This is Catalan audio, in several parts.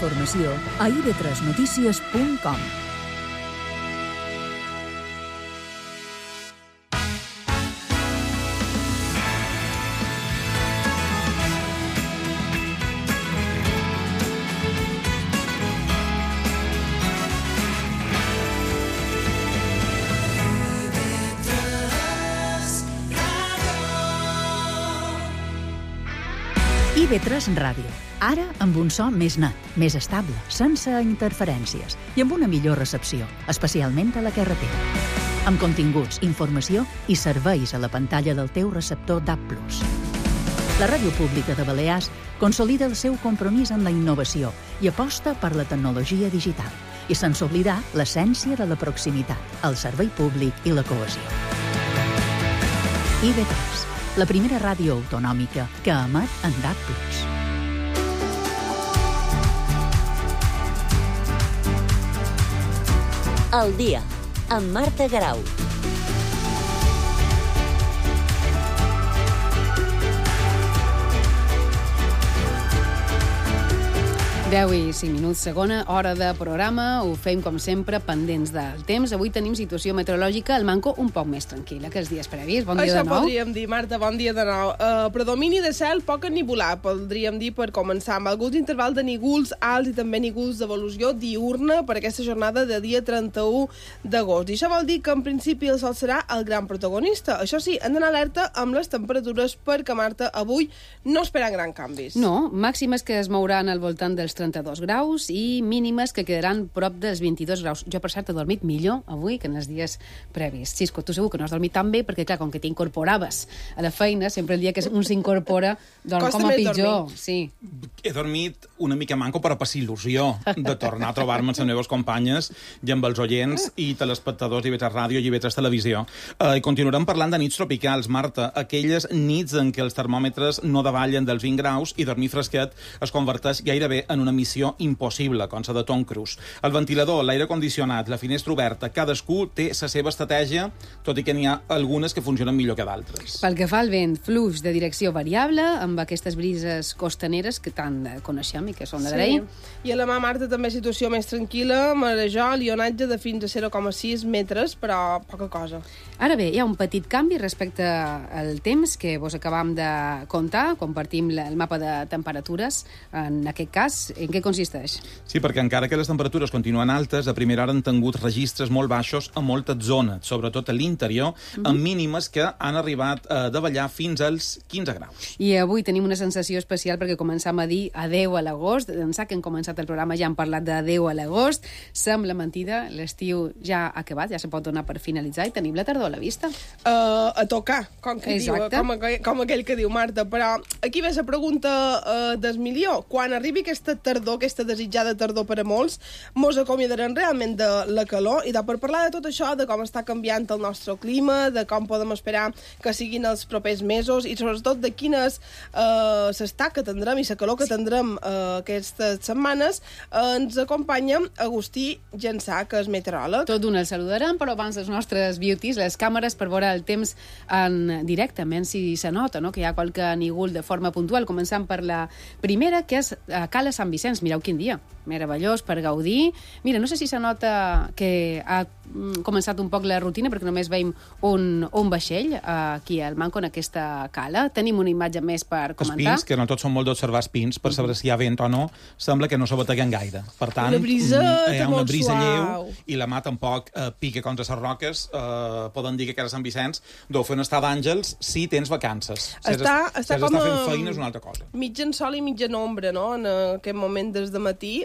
informació a ib3notícies.com. IB3 Ràdio. Ara amb un so més net, més estable, sense interferències i amb una millor recepció, especialment a la carretera. Amb continguts, informació i serveis a la pantalla del teu receptor DAB+. La Ràdio Pública de Balears consolida el seu compromís amb la innovació i aposta per la tecnologia digital i sense oblidar l'essència de la proximitat, el servei públic i la cohesió. IB3, la primera ràdio autonòmica que emet en DAB+. El dia, amb Marta Garau. Deu i 5 minuts, segona hora de programa. Ho fem, com sempre, pendents del temps. Avui tenim situació meteorològica al Manco un poc més tranquil·la que els dies previs. Bon dia de nou. Això podríem dir, Marta, bon dia de nou. Predomini de cel poc ennivolat, podríem dir, per començar, amb alguns intervals de nígols alts i també nígols d'evolució diurna per aquesta jornada de dia 31 d'agost. I això vol dir que, en principi, el sol serà el gran protagonista. Això sí, hem d'anar alerta amb les temperatures perquè, Marta, avui no esperen grans canvis. No, màximes que es mouran al voltant dels 32 graus i mínimes que quedaran prop dels 22 graus. Jo, per cert, he dormit millor avui que en els dies previs. Xisco, tu segur que no has dormit tan bé perquè, clar, com que t'incorporaves a la feina, sempre el dia que un s'incorpora dorm com a pitjor. Sí. He dormit una mica manco per a passar il·lusió de tornar a trobar-me amb les meves companyes i amb els oients i telespectadors d'IB3 Ràdio i IB3 Televisió. I continuarem parlant de nits tropicals, Marta. Aquelles nits en què els termòmetres no davallen dels 20 graus i dormir fresquet es converteix gairebé en una missió impossible, com la de Tom Cruise. El ventilador, l'aire condicionat, la finestra oberta, cadascú té la seva estratègia, tot i que n'hi ha algunes que funcionen millor que d'altres. Pel que fa al vent, flux de direcció variable, amb aquestes brises costaneres que tant coneixem i que són d'agrair. Sí. I a la mà, Marta, també situació més tranquil·la, marejol i onatge de fins a 0,6 metres, però poca cosa. Ara bé, hi ha un petit canvi respecte al temps que vos acabam de contar, compartim el mapa de temperatures, en aquest cas, en què consisteix? Sí, perquè encara que les temperatures continuen altes, a primera hora han tingut registres molt baixos a moltes zones, sobretot a l'interior, amb mínimes que han arribat a davallar fins als 15 graus. I avui tenim una sensació especial perquè començam a dir adeu a l'agost. D'ençà que hem començat el programa ja hem parlat d'adeu a l'agost. Sembla mentida, l'estiu ja ha acabat, ja se pot donar per finalitzar i tenim la tardor a la vista. A tocar, com aquell que diu Marta. Però aquí ve la pregunta del milió. Quan arribi aquesta tardor, aquesta desitjada tardor per a molts, mos acomiadarem realment de la calor i per parlar de tot això, de com està canviant el nostre clima, de com podem esperar que siguin els propers mesos i sobretot de quines s'estat que tindrem i la calor que tindrem aquestes setmanes, ens acompanya Agustí Jansà, que és meteoròleg. Tot d'una el saludarem, però abans les nostres beauties, les càmeres per veure el temps en directament, si se nota, no? Que hi ha qualque nígol de forma puntual. Començant per la primera, que és Cala Sant Vicenç. Mireu quin dia, meravellós per gaudir. Mira, no sé si se nota que ha començat un poc la rutina, perquè només veiem un vaixell aquí al Manco, en aquesta cala. Tenim una imatge més per comentar. Els pins, que no tots són molt d'observar els pins, per saber si hi ha vent o no, sembla que no s'abateguen gaire. Per tant, hi ha una brisa lleu i la mà tampoc pica contra les roques. Poden dir que a Sant Vicenç deu fer un estar d'àngels si tens vacances. Si has com fent feina és una altra cosa. Mitja en sol i mitja en ombra, no? En aquest moment des de matí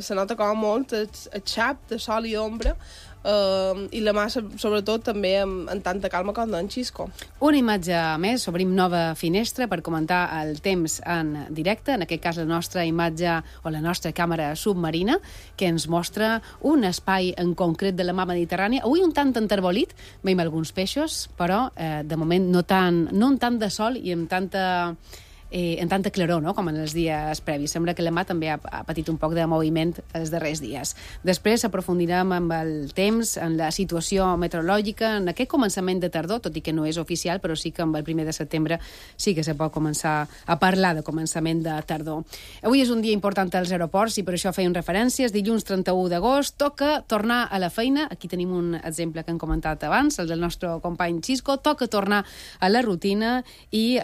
se nota com molt el xap de sol i ombra, i la mà, sobretot, també en tanta calma com en Xisco. Una imatge més, obrim nova finestra per comentar el temps en directe, en aquest cas la nostra imatge o la nostra càmera submarina, que ens mostra un espai en concret de la mar Mediterrània. Avui un tant enterbolit, veiem alguns peixos, però de moment no tant de sol i amb tanta en tanta claror, no?, com en els dies previs. Sembla que la mà també ha patit un poc de moviment els darrers dies. Després aprofundirem amb el temps, en la situació meteorològica, en aquest començament de tardor, tot i que no és oficial, però sí que amb el 1 de setembre sí que se pot començar a parlar de començament de tardor. Avui és un dia important als aeroports i per això feien referències. Dilluns 31 d'agost toca tornar a la feina. Aquí tenim un exemple que hem comentat abans, el del nostre company Xisco. Toca tornar a la rutina i,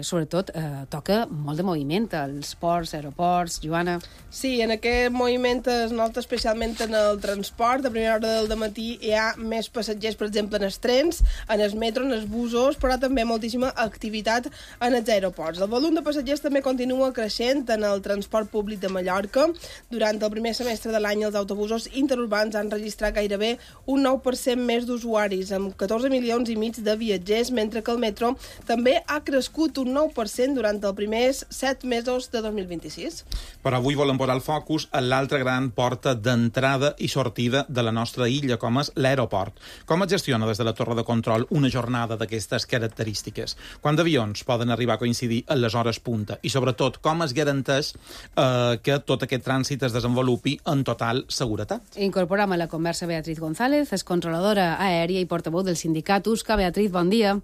sobretot, toca molt de moviment als ports, aeroports. Joana? Sí, en aquest moviment es nota especialment en el transport. A primera hora del dematí hi ha més passatgers, per exemple, en els trens, en els metros, en els busos, però també moltíssima activitat en els aeroports. El volum de passatgers també continua creixent en el transport públic de Mallorca. Durant el primer semestre de l'any, els autobusos interurbans han registrat gairebé un 9% més d'usuaris, amb 14 milions i mig de viatgers, mentre que el metro també ha crescut un 9% durant els primers 7 mesos de 2026. Però avui volem posar el focus a l'altra gran porta d'entrada i sortida de la nostra illa, com és l'aeroport. Com es gestiona des de la torre de control una jornada d'aquestes característiques? Quants avions poden arribar a coincidir a les hores punta? I, sobretot, com es garanteix que tot aquest trànsit es desenvolupi en total seguretat? Incorporem a la conversa Beatriz González, és controladora aèria i portaveu del sindicat USCA. Beatriz, bon dia.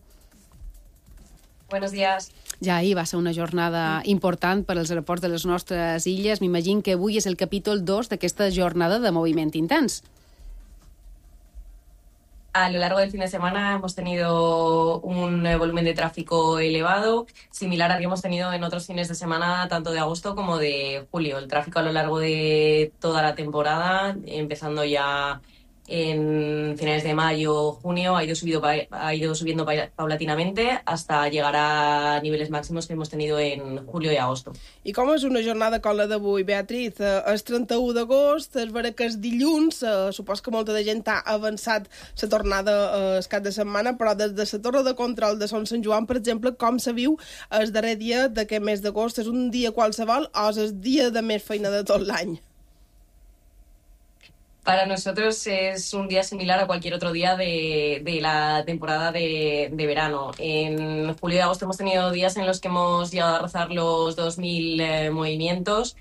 Buenos días. Ja ahir va ser una jornada important per als aeroports de les nostres illes. M'imagino que avui és el capítol 2 d'aquesta jornada de moviment intens. A lo largo del fin de semana hemos tenido un volumen de tráfico elevado, similar al que hemos tenido en otros fines de semana, tanto de agosto como de julio. El tráfico a lo largo de toda la temporada, empezando ya en finales de mayo, junio, ha ido subiendo paulatinamente hasta llegar a niveles máximos que hemos tenido en julio y agosto. I com és una jornada com la d'avui, Beatriz? És 31 d'agost, és vera que és dilluns, supos que molta de gent ha avançat la tornada el cap de setmana, però des de la torre de control de Son Sant Joan, per exemple, com se viu el darrer dia d'aquest mes d'agost? És un dia qualsevol o és el dia de més feina de tot l'any? Para nosotros es un día similar a cualquier otro día de la temporada de verano. En julio y agosto hemos tenido días en los que hemos llegado a rozar los 2.000 movimientos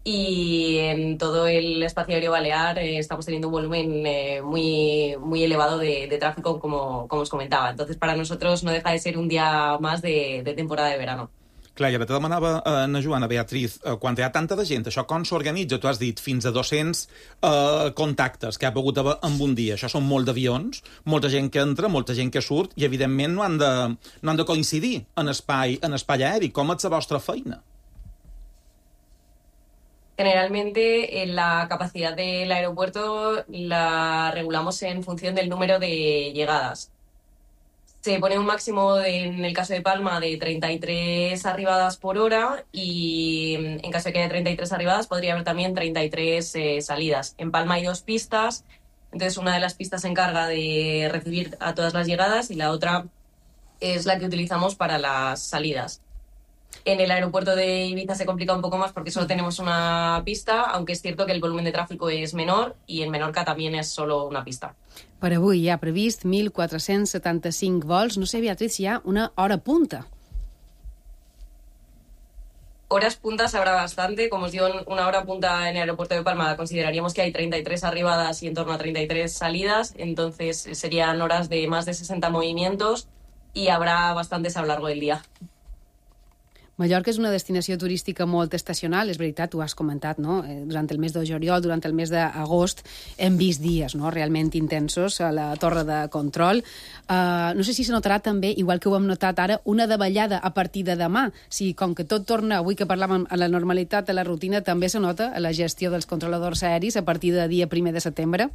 y en todo el espacio aéreo balear estamos teniendo un volumen muy elevado de tráfico, como os comentaba. Entonces, para nosotros no deja de ser un día más de temporada de verano. Clar, i ara te demanava a Joana, Beatriz, quan hi ha tanta de gent, això com s'organitza? Tu has dit fins a 200 contactes que ha pogut haver en un dia. Això són molt d'avions, molta gent que entra, molta gent que surt, i evidentment no han de coincidir en espai aeri. Com és la vostra feina? Generalmente la capacidad del aeropuerto la regulamos en función del número de llegadas. Se pone un máximo, en el caso de Palma, de 33 arribadas por hora y en caso de que haya 33 arribadas podría haber también 33 salidas. En Palma hay 2 pistas, entonces una de las pistas se encarga de recibir a todas las llegadas y la otra es la que utilizamos para las salidas. En el aeropuerto de Ibiza se complica un poco más porque solo tenemos una pista, aunque es cierto que el volumen de tráfico es menor y en Menorca también es solo una pista. Per avui hi ha previst 1.475 vols. No sé, Beatriz, si hi ha una hora punta. Horas puntas habrá bastante. Como os digo, una hora punta en el aeropuerto de Palma consideraríamos que hay 33 arribadas y en torno a 33 salidas, entonces serían horas de más de 60 movimientos y habrá bastantes a lo largo del día. Mallorca és una destinació turística molt estacional, és veritat, ho has comentat, no? Durant el mes de juliol, durant el mes d'agost, hem vist dies, no?, realment intensos a la torre de control. No sé si se notarà també, igual que ho hem notat ara, una davallada a partir de demà. Si, com que tot torna, avui que parlàvem a la normalitat, a la rutina, també se nota a la gestió dels controladors aeris a partir de dia 1 de setembre.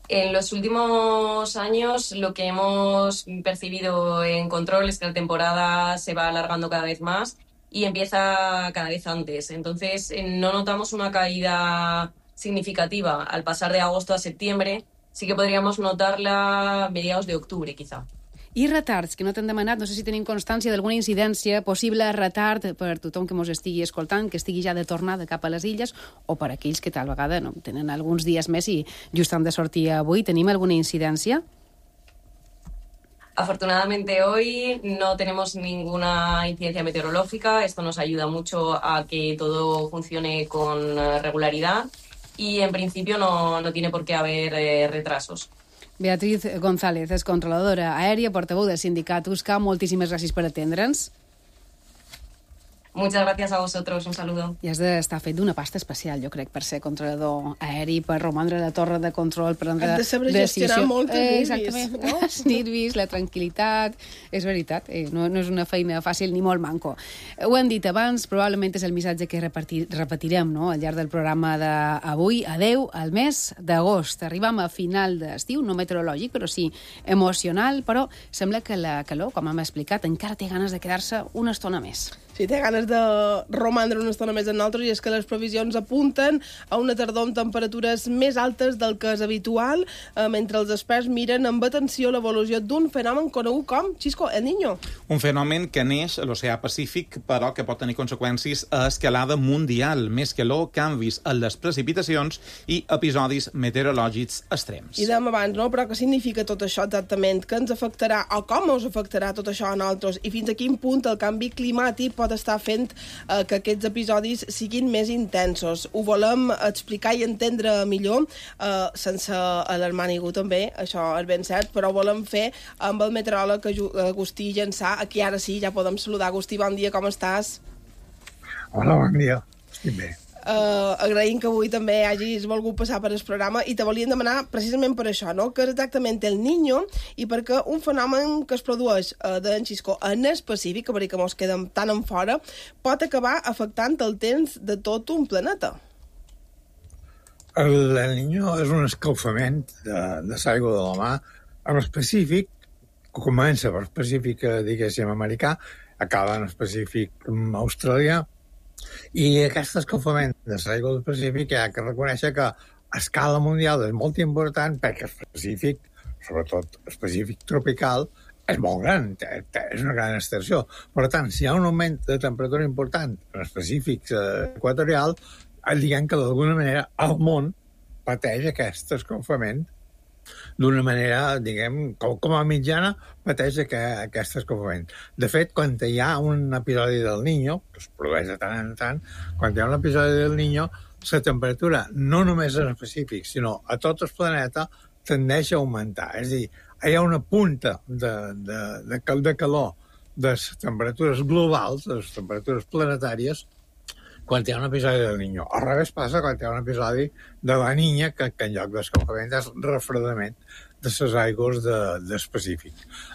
En los últimos años lo que hemos percibido en control es que la temporada se va alargando cada vez más y empieza cada vez antes. Entonces no notamos una caída significativa al pasar de agosto a septiembre. Sí que podríamos notarla a mediados de octubre, quizá. I retards, que no t'han demanat, no sé si tenim constància d'alguna incidència, possible retard per tothom que mos estigui escoltant, que estigui ja de tornada cap a les illes, o per aquells que tal vegada no tenen alguns dies més i just han de sortir avui. Tenim alguna incidència? Afortunadamente hoy no tenemos ninguna incidencia meteorológica. Esto nos ayuda mucho a que todo funcione con regularidad y en principio no tiene por qué haber retrasos. Beatriz González és controladora aèria, portaveu del sindicat USCA. Moltíssimes gràcies per atendre'ns. Muchas gracias a vosotros, un saludo. I has d'estar fet d'una pasta especial, jo crec, per ser controlador aeri, per romandre a la torre de control, per prendre decisió. Has de saber gestionar molts nervis. Exactament, no? Els nervis, la tranquil·litat. És veritat, no és una feina fàcil ni molt manco. Ho hem dit abans, probablement és el missatge que repetirem, no?, al llarg del programa d'avui. Adeu al mes d'agost. Arribam a final d'estiu, no meteorològic, però sí emocional, però sembla que la calor, com hem explicat, encara té ganes de quedar-se una estona més. Sí, té ganes de romandre una estona més en nosaltres, i és que les previsions apunten a una tardor amb temperatures més altes del que és habitual, mentre els experts miren amb atenció l'evolució d'un fenomen conegut com, Xisco, El Niño. Un fenomen que neix a l'oceà Pacífic, però que pot tenir conseqüències a escalada mundial, més calor, canvis en les precipitacions i episodis meteorològics extrems. I dèiem abans, no?, però què significa tot això exactament? Què ens afectarà, o com us afectarà tot això a nosaltres? I fins a quin punt el canvi climàtic pot estar fent que aquests episodis siguin més intensos? Ho volem explicar i entendre millor, sense alarmar ningú també, això és ben cert, però ho volem fer amb el meteoròleg Agustí Llançà, a qui ara sí ja podem saludar. Agustí, bon dia, com estàs? Hola, bon dia, estic bé. Agraïm que avui també hagis volgut passar per el programa, i te volíem demanar precisament per això, no?, que és exactament El Niño i perquè un fenomen que es produeix d'en Xisco en específic, que mos quedem tan en fora, pot acabar afectant el temps de tot un planeta. El Niño és un escalfament de l'aigua de la mar, en específic, que comença per específic, diguéssim, americà, acaba en específic australià. I aquest escalfament de l'aigua del Pacífic hi ha que reconèixer que a escala mundial és molt important, perquè el Pacífic, sobretot el Pacífic tropical, és molt gran, és una gran extensió. Per tant, si hi ha un augment de temperatura important en el Pacífic equatorial, diguem que d'alguna manera el món pateix aquest escalfament d'una manera, diguem, com a mitjana, pateix aquest escalfament. De fet, quan hi ha un episodi del Niño, que es produeix de tant en tant, quan hi ha un episodi del Niño, la temperatura, no només en el Pacífic, sinó a tot el planeta, tendeix a augmentar. És a dir, hi ha una punta de calor de les temperatures globals, de les temperatures planetàries, quan hi ha un episodi del Niño. Al revés passa quan hi ha un episodi de la Niña, que en lloc d'escalfament és refredament de les aigües del Pacífic.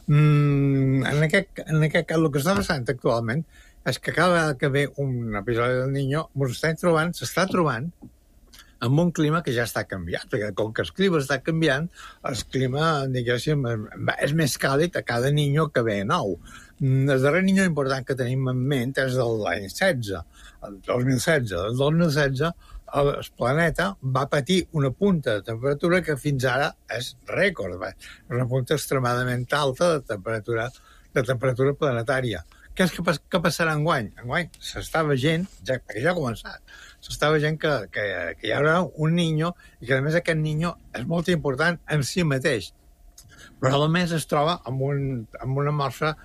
En aquest cas, el que està passant actualment és que cada vegada que ve un episodi del Niño s'està trobant amb un clima que ja està canviat, perquè com que el clima està canviant, el clima, diguéssim, és més càlid a cada Niño que ve nou. El darrer Niño important que tenim en ment és de l'any 16, el 2016. El 2016 el planeta va patir una punta de temperatura que fins ara és rècord. És una punta extremadament alta de temperatura planetària. Què passarà enguany? Enguany s'està veient, perquè ja ha començat, s'està veient que hi haurà un Niño i que, a més, aquest Niño és molt important en si mateix. Però, a més, es troba amb una mostra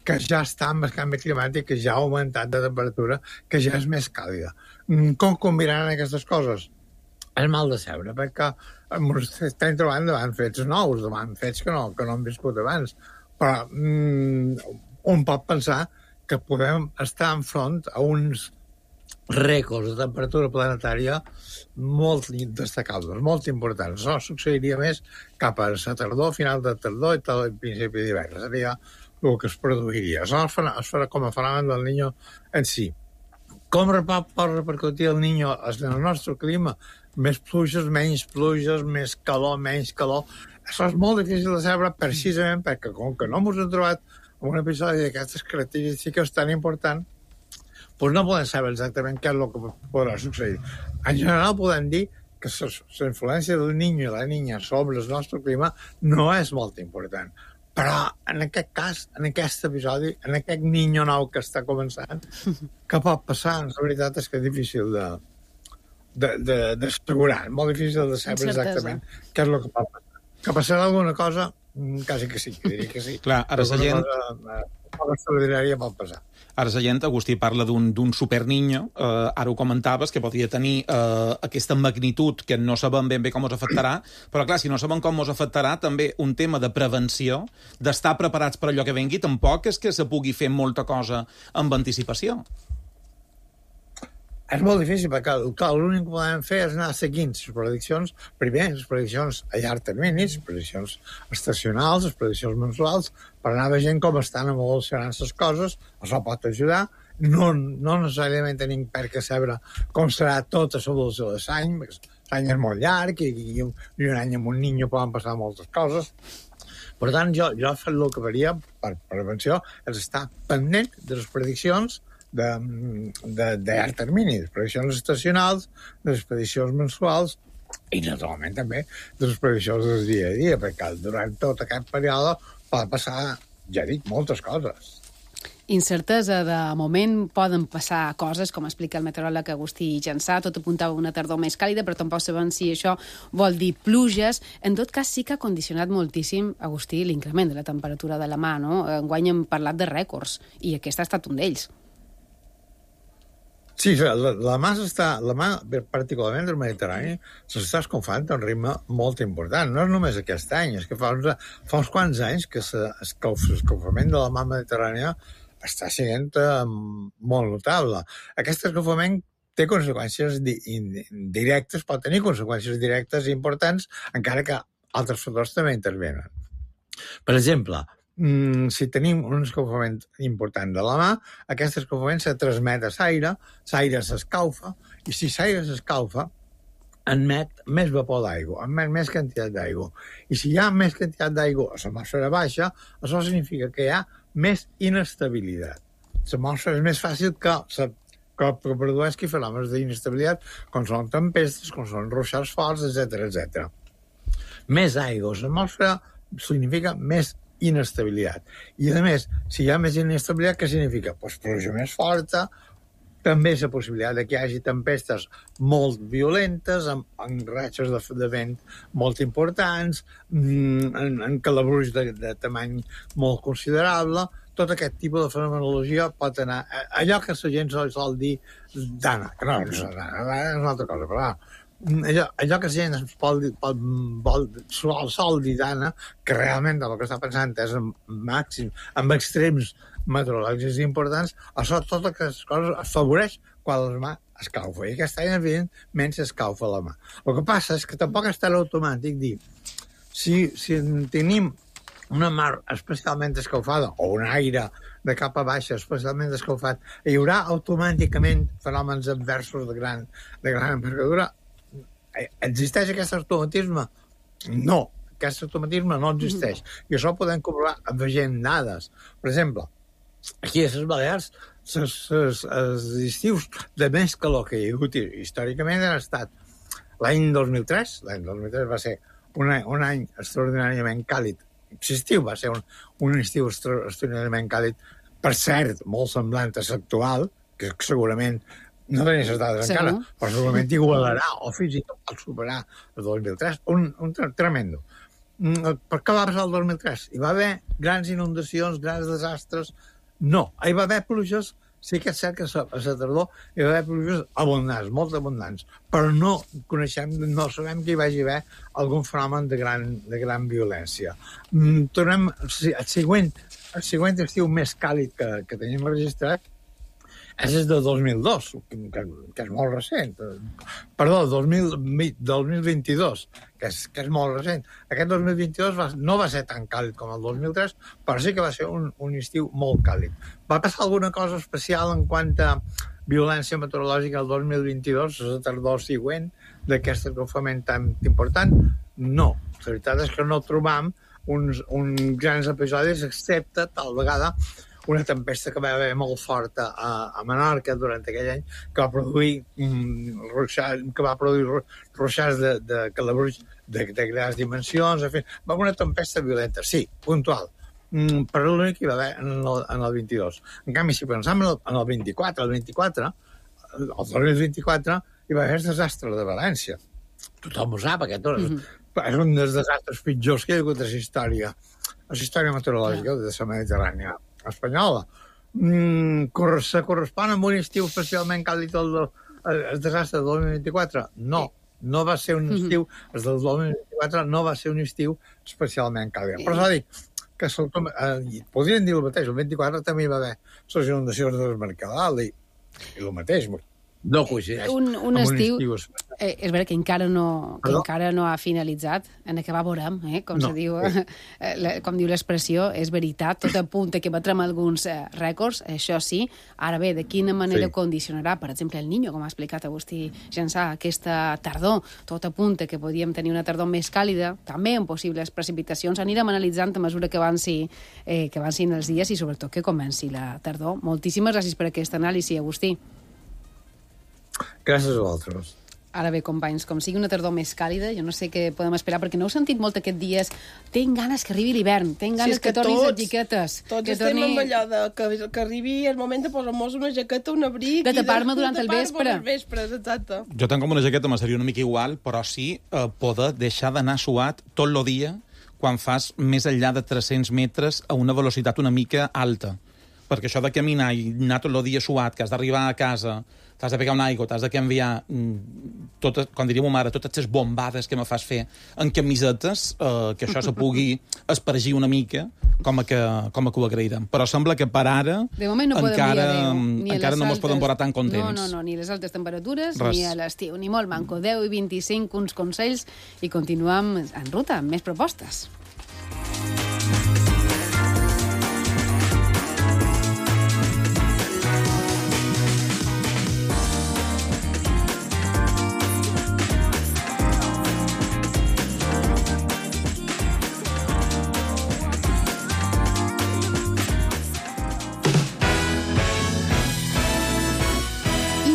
que ja està amb el canvi climàtic, que ja ha augmentat de temperatura, que ja és més càlida. Com combinaran aquestes coses? És mal de saber, perquè estem trobant davant fets nous, davant fets que no hem viscut abans. Però un pot pensar que podem estar enfront a uns rècords de temperatura planetària molt destacables, molt importants. Això succeiria més cap a la tardor, final de tardor i tot el principi d'hivern. Seria el que es produiria. Això es farà com a fenomen del Niño en si. Com pot repercutir el Niño en el nostre clima? Més pluges, menys pluges, més calor, menys calor. Això és molt difícil de saber precisament perquè com que no ens hem trobat en un episodi d'aquestes característiques tan important, doncs no podem saber exactament què és el que podrà succeir. En general podem dir que la influència del Niño i la Niña sobre el nostre clima no és molt important. Però en aquest cas, en aquest episodi, en aquest Niño nou que està començant, què pot passar? La veritat és que és difícil d'assegurar, molt difícil de saber exactament què és el que pot passar. Que passarà alguna cosa, quasi que sí, diria que sí. Clar, ara la gent... Una extraordinària pot passar. Ara la gent, Agustí, parla d'un superniño, ara ho comentaves, que podria tenir aquesta magnitud que no sabem ben bé com us afectarà, però clar, si no sabem com us afectarà, també un tema de prevenció, d'estar preparats per allò que vengui, tampoc és que se pugui fer molta cosa amb anticipació. És molt difícil, perquè l'únic que podem fer és anar seguint les prediccions, primer, les prediccions a llarg termini, les prediccions estacionals, les prediccions mensuals, per anar veient com estan evolucionant les coses, això pot ajudar, no necessàriament tenim per què saber com serà tota l'evolució de l'any, perquè l'any és molt llarg i un any amb un niño poden passar moltes coses. Per tant, jo el que faria per prevenció és estar pendent de les prediccions de llarg termini, de les prediccions estacionals, de les prediccions mensuals i, naturalment, també de les prediccions del dia a dia, perquè durant tot aquest període pot passar, ja dic, moltes coses. Incertesa, de moment poden passar coses, com explica el meteoròleg Agustí Jansà, tot apuntava una tardor més càlida, però tampoc sabem si això vol dir pluges. En tot cas, sí que ha condicionat moltíssim, Agustí, l'increment de la temperatura de la mà, no? Enguany hem parlat de rècords, i aquest ha estat un d'ells. Sí, la mà, particularment del Mediterrani, s'està escalfant a un ritme molt important. No és només aquest any, és que fa uns quants anys que l'escalfament de la mà mediterrània està sent molt notable. Aquest escalfament té conseqüències directes, pot tenir conseqüències directes i importants, encara que altres factors també intervenen. Per exemple, si tenim un escalfament important de la mà, aquest escalfament se transmet a l'aire, l'aire s'escalfa, i si l'aire s'escalfa, emet més vapor d'aigua, emet més quantitat d'aigua. I si hi ha més quantitat d'aigua a l'atmosfera baixa, això significa que hi ha més inestabilitat. L'atmosfera és més fàcil que produeixi fenòmens d'inestabilitat, com són tempestes, com són ruixats forts, etc. Més aigua a l'atmosfera significa més inestabilitat. I, a més, si hi ha més inestabilitat, què significa? Doncs pluja més forta, també és la possibilitat que hi hagi tempestes molt violentes, amb ratxes de vent molt importants, en calabruix de tamany molt considerable. Tot aquest tipus de fenomenologia pot anar... Allò que la gent sol dir dana, que no és una altra cosa, però allò que la gent sol dir dana, que realment el que està pensant és amb extrems meteorològics importants, això, totes aquestes coses afavoreix quan la mà escalfa. I aquest any, evidentment, s'escalfa la mà. El que passa és que tampoc és tan automàtic dir si tenim una mar especialment escalfada o un aire de cap a baixa especialment escalfat, hi haurà automàticament fenòmens adversos de gran envergadura. Existeix aquest automatisme? No, aquest automatisme no existeix. I això ho podem comprovar veient dades. Per exemple, aquí a les Balears, els estius de més calor que hi ha hagut històricament han estat l'any 2003. L'any 2003 va ser un any extraordinàriament càlid. L'estiu va ser un estiu extraordinàriament càlid, per cert, molt semblant a l'actual, que segurament no tenia les dades encara, però segurament igualarà o fins i tot superar el 2003. Un tremendo. Per què va passar el 2003? Hi va haver grans inundacions, grans desastres? No. Hi va haver pluges, sí que és cert que a la tardor hi va haver pluges abundants, molt abundants, però no sabem que hi vagi haver algun fenomen de gran violència. Tornem al següent estiu més càlid que tenim registrat, és el de 2002, que és molt recent. Perdó, 2022, que és molt recent. Aquest 2022 no va ser tan càlid com el 2003, però sí que va ser un estiu molt càlid. Va passar alguna cosa especial en quant a violència meteorològica el 2022, la tardor següent d'aquest escalfament tan important? No. La veritat és que no trobam uns grans episodis, excepte tal vegada una tempesta que va haver molt forta a Menorca durant aquell any, que va produir ruixats de calabruix de grans dimensions, en fi, va haver una tempesta violenta, sí, puntual, però l'únic que hi va haver en el 22. En canvi, si pensam en el 24, el 2024, hi va haver el desastre de València. Tothom ho sap, És un dels desastres pitjors que hi ha hagut a la història. A la història meteorològica de la Mediterrània espanyola. Se correspon amb un estiu especialment càlid el desastre del 2024? No. No va ser un estiu, el del 2024 no va ser un estiu especialment càlid. Però s'ha dit que podrien dir el mateix, el 24 també hi va haver les inundacions del Mercadal i el mateix, no coincideix un estiu és vera que encara no ha finalitzat, en acabar veurem, com se diu, com diu l'expressió, és veritat, tot apunta que batrem alguns rècords, això sí. Ara bé, de quina manera condicionarà, per exemple, el Niño, com ha explicat Agustí Jansà, aquesta tardor, tot apunta que podíem tenir una tardor més càlida, també amb possibles precipitacions, anirem analitzant a mesura que avancin els dies i sobretot que comenci la tardor. Moltíssimes gràcies per aquesta anàlisi, Agustí. Gràcies a vosaltres. Ara bé, companys, com sigui una tardor més càlida, jo no sé què podem esperar, perquè no heu sentit molt aquests dies. Tinc ganes que arribi l'hivern, tinc ganes que tornin les jaquetes. Tots estem amb allò de que arribi el moment de posar-nos una jaqueta, un abric... De tapar-me durant el vespre. Exacte. Jo tenc com una jaqueta, me seria una mica igual, però sí poder deixar d'anar suat tot el dia quan fas més enllà de 300 metres a una velocitat una mica alta. Perquè això de caminar i anar tot el dia suat, que has d'arribar a casa, t'has de pegar una aigua, t'has de canviar, com diria ma mare, totes les bombades que me fas fer en camisetes, que això se pugui espargir una mica, com a que ho agraïrem. Però sembla que per ara encara no mos podem veure tan contents. No, ni les altes temperatures, ni a l'estiu, ni molt manco. 10 i 25, uns consells, i continuem en ruta amb més propostes.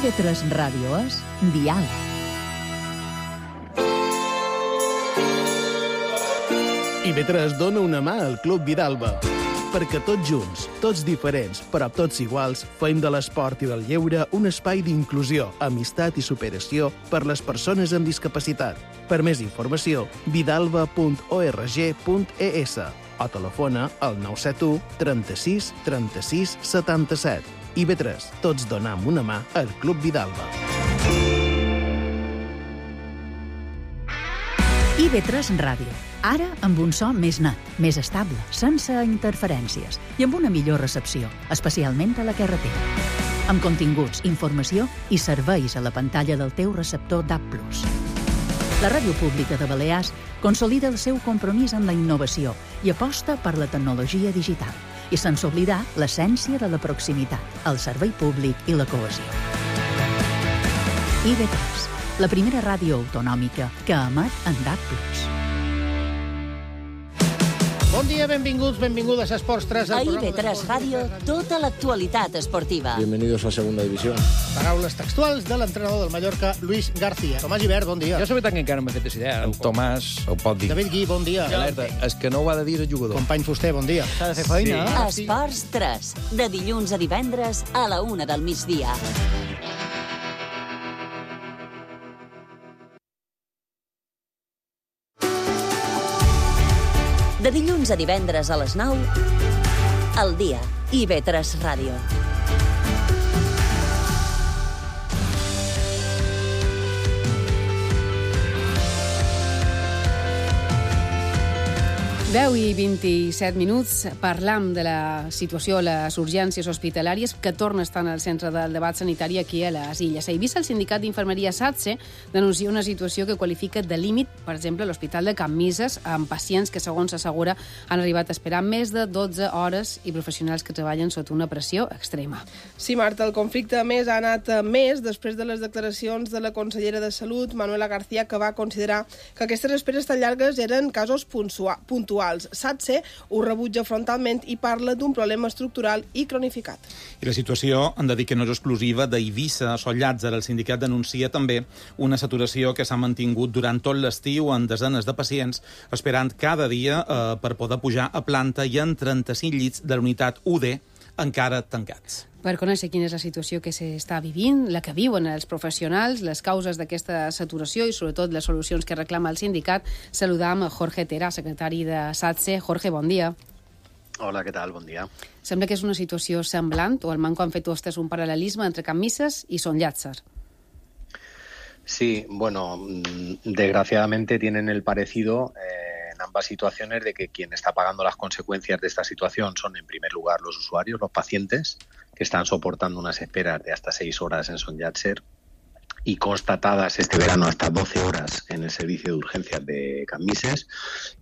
IB3 Ràdio és Dial. IB3 dona una mà al Club Vidalba. Perquè tots junts, tots diferents, però tots iguals, fem de l'esport i del lleure un espai d'inclusió, amistat i superació per les persones amb discapacitat. Per més informació, vidalba.org.es o telefona al 971 36 36 77. IB3, tots donam una mà al Club Vidalba. IB3 Ràdio. Ara amb un so més net, més estable, sense interferències i amb una millor recepció, especialment a la carretera. Amb continguts, informació i serveis a la pantalla del teu receptor DAB+. La Ràdio Pública de Balears consolida el seu compromís amb la innovació i aposta per la tecnologia digital, i sense oblidar l'essència de la proximitat, el servei públic i la cohesió. IB3, la primera ràdio autonòmica que emet en DAB+. Bon dia, benvinguts, benvingudes a Esports 3. A IB3 Ràdio, tota l'actualitat esportiva. Bienvenidos a Segunda División. Paraules textuals de l'entrenador del Mallorca, Luis García. Tomàs Gibert, bon dia. Jo sabia que encara no m'he fet idea. En Tomàs ho pot dir. David Gui, bon dia. Alerta, és que no ho ha de dir el jugador. Company Fuster, bon dia. S'ha de fer feina, Sí. Esports 3, de dilluns a divendres a la 1 del migdia. De dilluns a divendres a les 9, al dia, IB3 Ràdio. I 27 minuts, parlam de la situació a les urgències hospitalàries que torna a estar en el centre del debat sanitari aquí a les Illes. A Eivissa, el sindicat d'infermeria SATSE denuncia una situació que qualifica de límit, per exemple, a l'Hospital de Can Mises, amb pacients que, segons s'assegura, han arribat a esperar més de 12 hores i professionals que treballen sota una pressió extrema. Sí, Marta, el conflicte a més ha anat més després de les declaracions de la consellera de Salut, Manuela García, que va considerar que aquestes esperes tan llargues eren casos puntuals. SATSE ho rebutja frontalment i parla d'un problema estructural i cronificat. I la situació, hem de dir que no és exclusiva d'Eivissa. Sol Llàtzer, el sindicat, denuncia també una saturació que s'ha mantingut durant tot l'estiu en desenes de pacients, esperant cada dia per poder pujar a planta i en 35 llits de la unitat UD encara tancats. Per conèixer quina és la situació que s'està vivint, la que viuen els professionals, les causes d'aquesta saturació i, sobretot, les solucions que reclama el sindicat, saludam a Jorge Tera, secretari de SATSE. Jorge, bon dia. Hola, què tal? Bon dia. Sembla que és una situació semblant, o almenys han fet vostès un paral·lelisme entre Can Misses i Son Llàtzer. Sí, bueno, desgraciadamente tienen el parecido en ambas situaciones de que quien está pagando las consecuencias de esta situación son, en primer lugar, los usuarios, los pacientes, que están soportando unas esperas de hasta 6 horas en Son Llàtzer y constatadas este verano hasta 12 horas en el servicio de urgencias de Can Misses.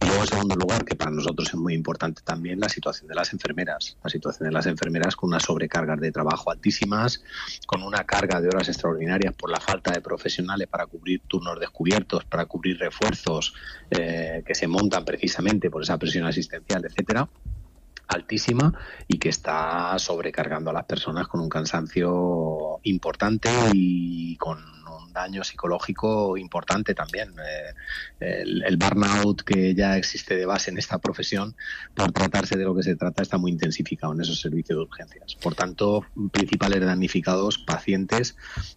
Y luego, en segundo lugar, que para nosotros es muy importante también, la situación de las enfermeras. La situación de las enfermeras con unas sobrecargas de trabajo altísimas, con una carga de horas extraordinarias por la falta de profesionales para cubrir turnos descubiertos, para cubrir refuerzos que se montan precisamente por esa presión asistencial, etcétera, altísima, y que está sobrecargando a las personas con un cansancio importante y con un daño psicológico importante también. El burnout que ya existe de base en esta profesión, por tratarse de lo que se trata, está muy intensificado en esos servicios de urgencias. Por tanto, principales damnificados, pacientes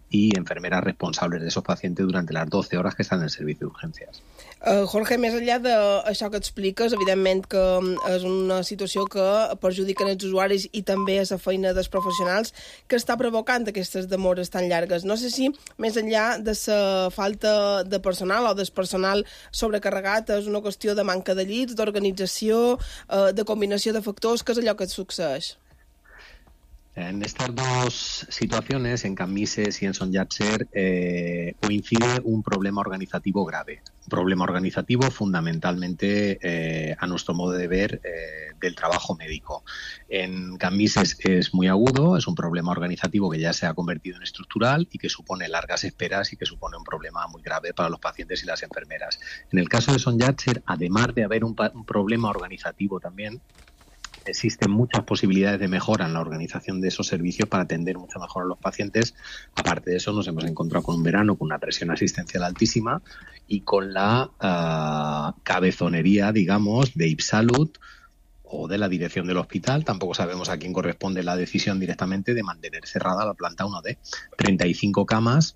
y enfermeras responsables de esos pacientes durante las 12 horas que estan en el servicio de urgencias. Jorge, més enllà d'això que expliques, evidentment que és una situació que perjudica els usuaris i també a la feina dels professionals que està provocant aquestes demores tan llargues. No sé si, més enllà de la falta de personal o del personal sobrecarregat, és una qüestió de manca de llits, d'organització, de combinació de factors, que és allò que et succeeix. En estas dos situaciones, en Can Misses y en Son Llàtzer, coincide un problema organizativo grave. Un problema organizativo fundamentalmente, a nuestro modo de ver, del trabajo médico. En Can Misses es muy agudo, es un problema organizativo que ya se ha convertido en estructural y que supone largas esperas y que supone un problema muy grave para los pacientes y las enfermeras. En el caso de Son Llàtzer, además de haber un problema organizativo también, existen muchas posibilidades de mejora en la organización de esos servicios para atender mucho mejor a los pacientes. Aparte de eso, nos hemos encontrado con un verano con una presión asistencial altísima y con la cabezonería, digamos, de IPSalud o de la dirección del hospital. Tampoco sabemos a quién corresponde la decisión directamente de mantener cerrada la planta 1D. 35 camas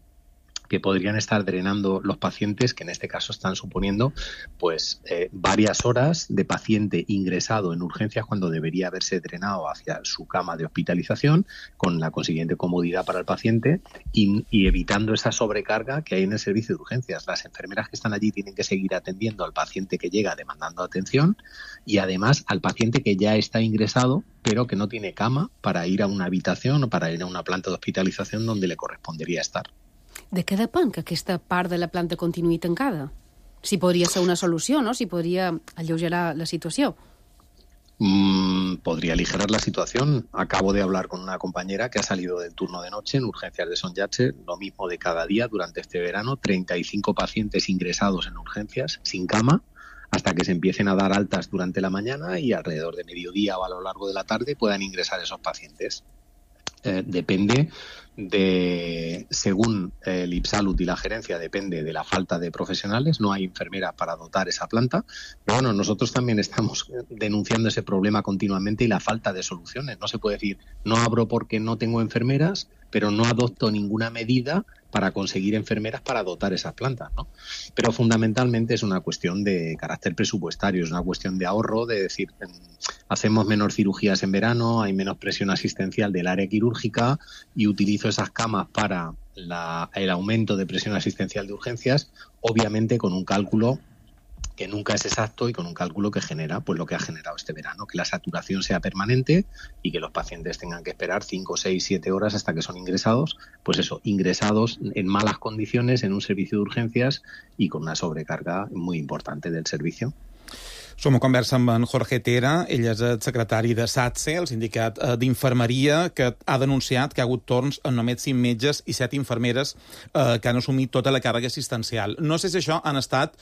que podrían estar drenando los pacientes, que en este caso están suponiendo pues varias horas de paciente ingresado en urgencias cuando debería haberse drenado hacia su cama de hospitalización, con la consiguiente comodidad para el paciente y evitando esa sobrecarga que hay en el servicio de urgencias. Las enfermeras que están allí tienen que seguir atendiendo al paciente que llega demandando atención y además al paciente que ya está ingresado pero que no tiene cama para ir a una habitación o para ir a una planta de hospitalización donde le correspondería estar. De què depèn que aquesta part de la planta continuï tancada? Si podria ser una solució, ¿no? Si podria alleugerar la situació. Podría aligerar la situación. Acabo de hablar con una compañera que ha salido del turno de noche en urgencias de Son Llàtzer, lo mismo de cada día durante este verano, 35 pacientes ingresados en urgencias sin cama, hasta que se empiecen a dar altas durante la mañana y alrededor de mediodía o a lo largo de la tarde puedan ingresar esos pacientes. Depende de, según el IPSalud y la gerencia, depende de la falta de profesionales. No hay enfermeras para dotar esa planta, pero bueno, nosotros también estamos denunciando ese problema continuamente y la falta de soluciones. No se puede decir, no abro porque no tengo enfermeras, pero no adopto ninguna medida para conseguir enfermeras para dotar esas plantas, ¿no? Pero fundamentalmente es una cuestión de carácter presupuestario, es una cuestión de ahorro, de decir, hacemos menos cirugías en verano, hay menos presión asistencial del área quirúrgica y utilizo esas camas para el aumento de presión asistencial de urgencias, obviamente con un cálculo que nunca es exacto y con un cálculo que genera pues lo que ha generado este verano, que la saturación sea permanente y que los pacientes tengan que esperar 5, 6, 7 horas hasta que son ingresados, pues eso, ingresados en malas condiciones en un servicio de urgencias y con una sobrecarga muy importante del servicio. Som a conversa amb en Jorge Tera, ell és el secretari de SATSE, el sindicat d'infermeria, que ha denunciat que hi ha hagut torns en només 5 metges i 7 infermeres que han assumit tota la càrrega assistencial. No sé si això han estat,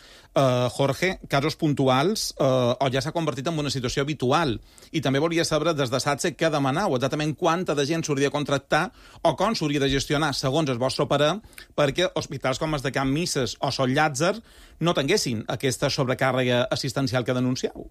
Jorge, casos puntuals o ja s'ha convertit en una situació habitual. I també volia saber des de SATSE què demanau, exactament quanta de gent s'hauria de contractar o com s'hauria de gestionar, segons el vostre parer, perquè hospitals com els de Can Misses o Son Llàtzer no tinguessin aquesta sobrecàrrega assistencial que denuncieu.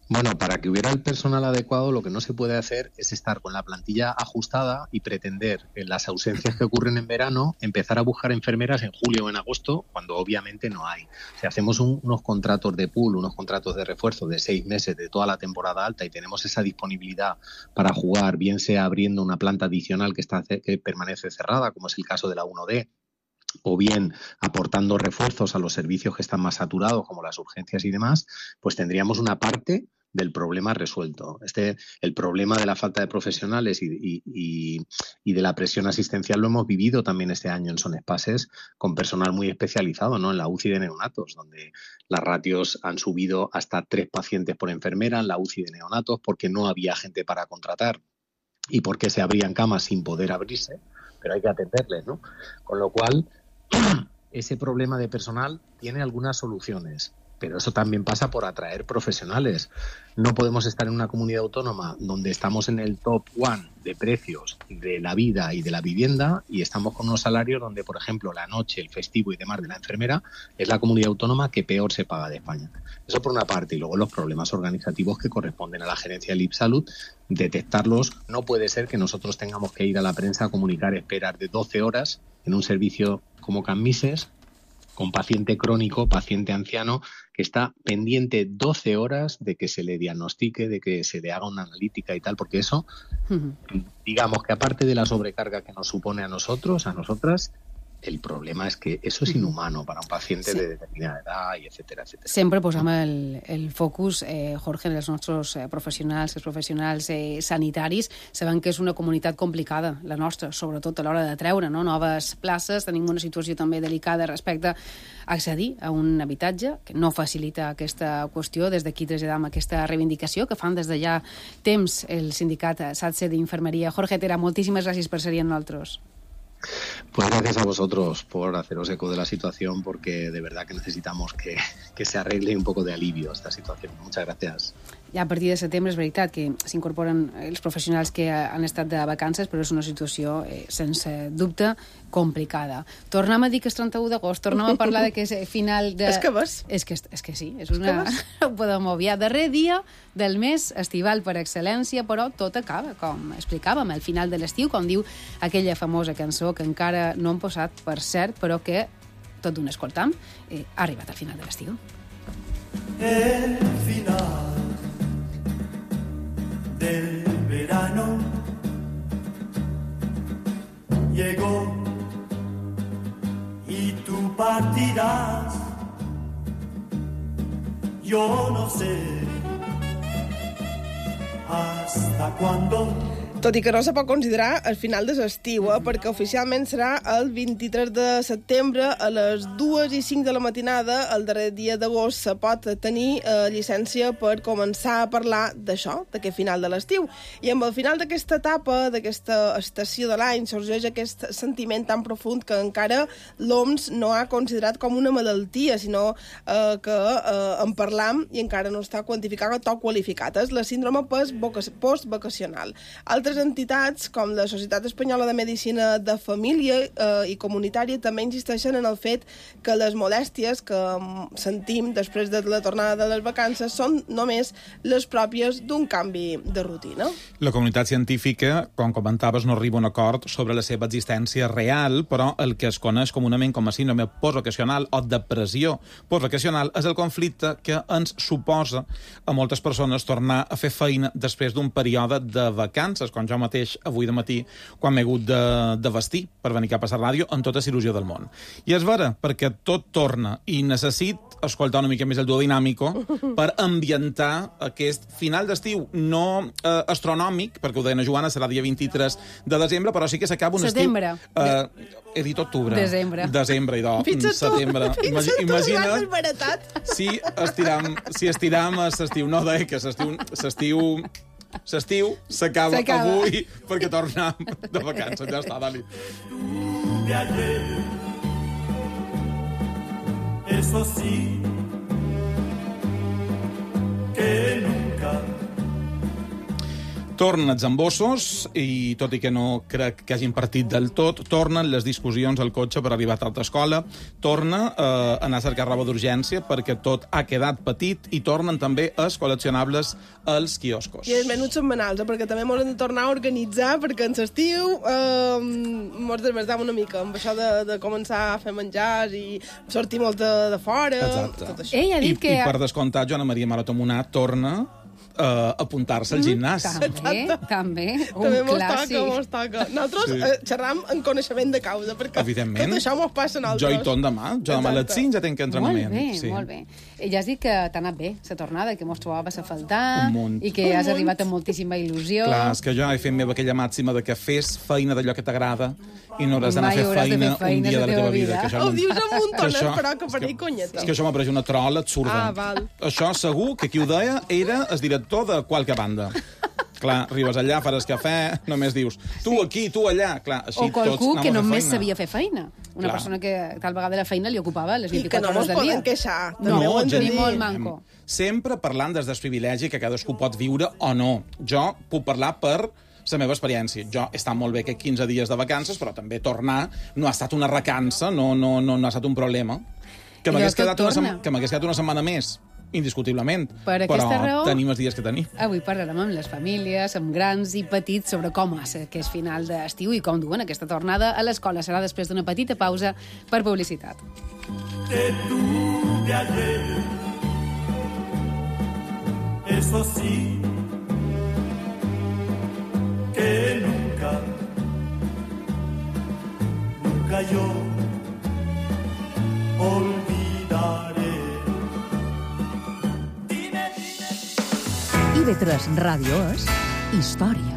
Bueno, para que hubiera el personal adecuado, lo que no se puede hacer es estar con la plantilla ajustada y pretender, en las ausencias que ocurren en verano, empezar a buscar enfermeras en julio o en agosto, cuando obviamente no hay. Si hacemos unos contratos de pool, unos contratos de refuerzo de 6 meses de toda la temporada alta y tenemos esa disponibilidad para jugar, bien sea abriendo una planta adicional que permanece cerrada, como es el caso de la 1D, o bien aportando refuerzos a los servicios que están más saturados, como las urgencias y demás, pues tendríamos una parte del problema resuelto. El problema de la falta de profesionales y de la presión asistencial lo hemos vivido también este año en Son Espases con personal muy especializado, ¿no? En la UCI de neonatos, donde las ratios han subido hasta 3 pacientes por enfermera en la UCI de neonatos porque no había gente para contratar y porque se abrían camas sin poder abrirse, pero hay que atenderles, ¿no? Con lo cual, ese problema de personal tiene algunas soluciones, pero eso también pasa por atraer profesionales. No podemos estar en una comunidad autónoma donde estamos en el top 1 de precios de la vida y de la vivienda y estamos con unos salarios donde, por ejemplo, la noche, el festivo y demás de la enfermera es la comunidad autónoma que peor se paga de España. Eso por una parte, y luego los problemas organizativos que corresponden a la gerencia del IPSalud, detectarlos. No puede ser que nosotros tengamos que ir a la prensa a comunicar esperas de 12 horas en un servicio como Cammises, con paciente crónico, paciente anciano, que está pendiente 12 horas de que se le diagnostique, de que se le haga una analítica y tal, porque eso, digamos que aparte de la sobrecarga que nos supone a nosotros, a nosotras, el problema és que eso és inhumano para un paciente de determinada edad, i etcètera, etcètera. Sempre posam el focus, Jorge, en els nostres professionals, els professionals sanitaris. Sabem que és una comunitat complicada, la nostra, sobretot a l'hora de treure noves places. Tenim una situació també delicada respecte a accedir a un habitatge, que no facilita aquesta qüestió. Des d'aquí traslladam aquesta reivindicació que fan des de ja temps el sindicat SATSE d'Infermeria. Jorge Tera, moltíssimes gràcies per ser-hi amb nosaltres. Pues gracias a vosotros por haceros eco de la situación, porque de verdad que necesitamos que se arregle un poco de alivio a esta situación. Muchas gracias. Ja a partir de setembre és veritat que s'incorporen els professionals que han estat de vacances, però és una situació, sense dubte, complicada. Tornem a dir que és 31 d'agost, tornem a parlar de que és final de... És que ves? És que sí, és una... Ho podem obviar. Darrer dia del mes estival per excel·lència, però tot acaba, com explicàvem, al final de l'estiu, com diu aquella famosa cançó que encara no hem posat, per cert, però que tot d'un escoltam, ha arribat al final de l'estiu. El final del verano llegó y tú partirás. Yo no sé hasta cuándo. Tot i que no se pot considerar el final de l'estiu, perquè oficialment serà el 23 de setembre a les 2:05 de la matinada, el darrer dia d'agost, se pot tenir llicència per començar a parlar d'això, d'aquest final de l'estiu. I amb el final d'aquesta etapa, d'aquesta estació de l'any, sorgeix aquest sentiment tan profund que encara l'OMS no ha considerat com una malaltia, sinó que en parlam i encara no està quantificat o qualificat. És la síndrome postvacacional. Altres entitats, com la Societat Espanyola de Medicina de Família i Comunitària, també insisteixen en el fet que les molèsties que sentim després de la tornada de les vacances són només les pròpies d'un canvi de rutina. La comunitat científica, com comentaves, no arriba a un acord sobre la seva existència real, però el que es coneix comunament com a síndrome postvacacional o depressió postvacacional és el conflicte que ens suposa a moltes persones tornar a fer feina després d'un període de vacances, com jo mateix avui de matí, quan m'he hagut de vestir per venir cap a la ràdio amb tota la il·lusió del món. I és vera, perquè tot torna i necessit escoltar una mica més el duo dinàmico per ambientar aquest final d'estiu, no astronòmic, perquè ho deia la Joana, serà dia 23 de desembre, però sí que s'acaba un estiu... Setembre. He dit octubre. Desembre, idò. Setembre. Imagina't si estiram a l'estiu. No, deia que l'estiu s'acaba avui perquè tornem de vacances. Ja està, Dani. Eso sí que nunca. Tornen els embossos i, tot i que no crec que hagin partit del tot, tornen les discussions al cotxe per arribar tard a escola, torna a anar a cercar roba d'urgència perquè tot ha quedat petit i tornen també els col·leccionables als quioscos. I els menuts setmanals, perquè també m'ho hem de tornar a organitzar perquè en l'estiu mos desbordam una mica amb això de començar a fer menjars i sortir molt de fora. Exacte. Tot això. Ell ha dit que... I per descomptat, Joana Maria Marotomunà torna apuntar-se al gimnàs. També, un També clàssic. mos toca. Nosaltres xerram en coneixement de causa, perquè Evidentment. tot això mos passa a nosaltres. Jo hi torn demà. Jo demà a les 5 ja tenc entrenament. Molt bé. Ja has dit que t'ha anat bé la tornada, que mos trobaves a faltar i que has arribat amb moltíssima il·lusió. Clar, és que jo he fet meva aquella màxima de que fes feina d'allò que t'agrada i no hauràs d'anar a fer feina un dia de la teva vida. Ho dius amb un tonet, però que per ell conyeta. És que això m'ha pareixit una trola absurda. Val. Això segur que qui ho deia era el director de qualque banda. Clar, arribes allà, faràs cafè, només dius tu aquí, tu allà. Clar, així o qualcú tots que anàvem a fer només feina. sabia fer feina. Una persona que tal vegada la feina li ocupava les 24 hores del dia. I que no mos poden queixar. No, gent, ni molt manco. Sempre parlant des del privilegi que cadascú pot viure o no. Jo puc parlar per la meva experiència. Jo he estat molt bé que 15 dies de vacances, però també tornar no ha estat una recança, no ha estat un problema. Que m'hagués quedat una setmana més, indiscutiblement. Per aquesta raó, tenim els dies que tenim. Avui parlarem amb les famílies, amb grans i petits, sobre com és aquest final d'estiu i com duen aquesta tornada a l'escola. Serà després d'una petita pausa per publicitat. Que tuve ayer, eso sí, que nunca yo olvidaré. IB3 Ràdio és història.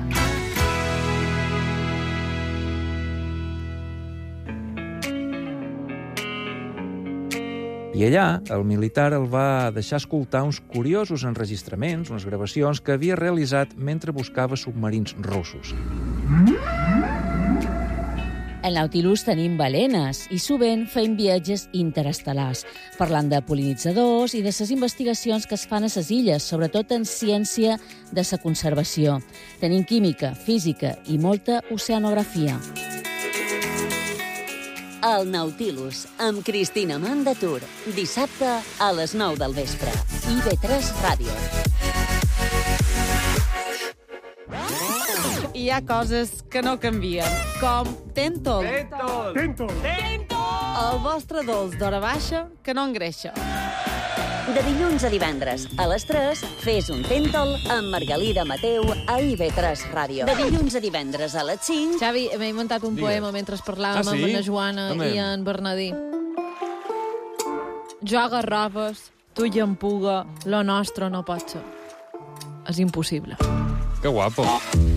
I allà, el militar el va deixar escoltar uns curiosos enregistraments, unes gravacions que havia realitzat mentre buscava submarins russos. Al Nautilus tenim balenes i sovint fem viatges interestel·lars, parlant de pol·linitzadors i de les investigacions que es fan a les illes, sobretot en ciència de la conservació. Tenim química, física i molta oceanografia. El Nautilus, amb Cristina Mandatur. Dissabte a les 9 del vespre. IB3 Ràdio. Hi ha coses que no canvien, com Tentol. Tentol. El vostre dolç d'hora baixa que no engreixa. De dilluns a divendres, a les 3, fes un Tentol amb Margalida Mateu a IB3 Ràdio. De dilluns a divendres a les 5... Xavi, m'he inventat un poema mentre parlàvem amb la Joana i en Bernadí. Jo agarraves, tu i empuga, lo nostre no pot ser. És impossible. Que guapo.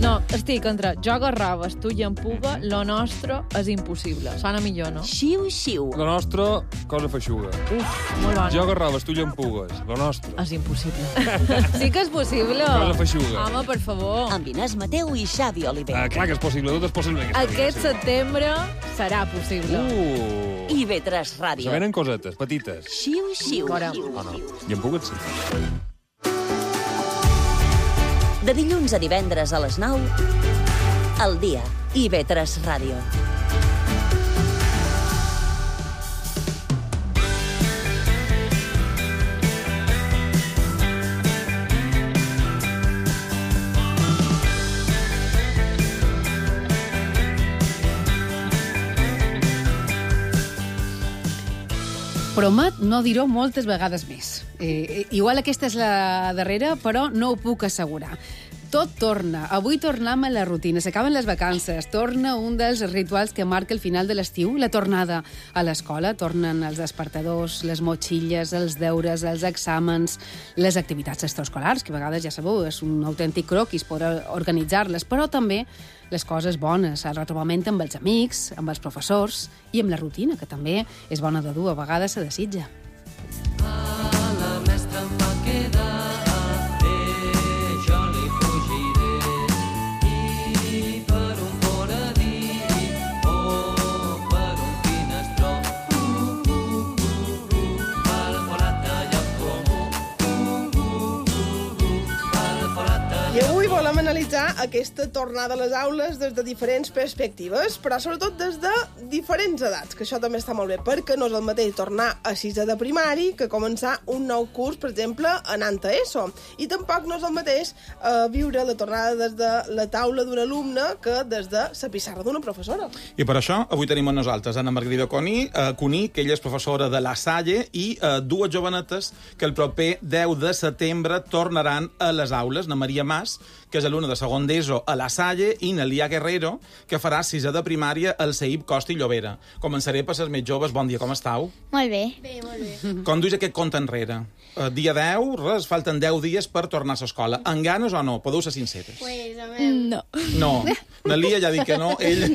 No, estic entre jo agarraves, tu i empuga, lo nostre és impossible. Sona millor, no? Xiu, xiu. Lo nostre, cosa feixuga. Uf, molt bona. Jo agarraves, tu i empugues. Lo nostre. És impossible. Sí que és possible. Cosa feixuga. Home, per favor. Amb Inés Mateu i Xavi Oliver. Clar que és possible, tot és possible. Aquest setembre serà possible. IB3 Ràdio. Se venen cosetes, petites. Xiu, xiu. Oh, no. I empugues, sí. De dilluns a divendres a les 9, al dia, IB3 Ràdio. Promet no dir-ho moltes vegades més. Igual aquesta és la darrera, però no ho puc assegurar. Tot torna. Avui tornem a la rutina. S'acaben les vacances. Torna un dels rituals que marca el final de l'estiu, la tornada a l'escola. Tornen els despertadors, les motxilles, els deures, els exàmens, les activitats extraescolars, que a vegades, ja sabeu, és un autèntic croquis poder organitzar-les, però també les coses bones, el retrobament amb els amics, amb els professors i amb la rutina, que també és bona de dur, a vegades se desitja. A la mestra em va quedar analitzar aquesta tornada a les aules des de diferents perspectives, però sobretot des de diferents edats, que això també està molt bé, perquè no és el mateix tornar a 6è de primari que començar un nou curs, per exemple, anant a ESO. I tampoc no és el mateix viure la tornada des de la taula d'un alumne que des de la pissarra d'una professora. I per això avui tenim amb nosaltres Anna Margarida Cuní, que ella és professora de La Salle, i dues jovenetes que el proper 10 de setembre tornaran a les aules. Na Maria Mas, que és alumna de segon d'ESO a La Salle, i Nelia Guerrero, que farà 6è de primària al CEIP Costa i Llobera. Començaré per les més joves. Bon dia, com estàu? Molt bé. Bé, molt bé. Com duis aquest compte enrere? Dia 10, res, falten 10 dies per tornar a l'escola. En ganes o no? Podeu ser sinceres. Pues, a veure... No. No. Nelia ja ha dit que no. Ella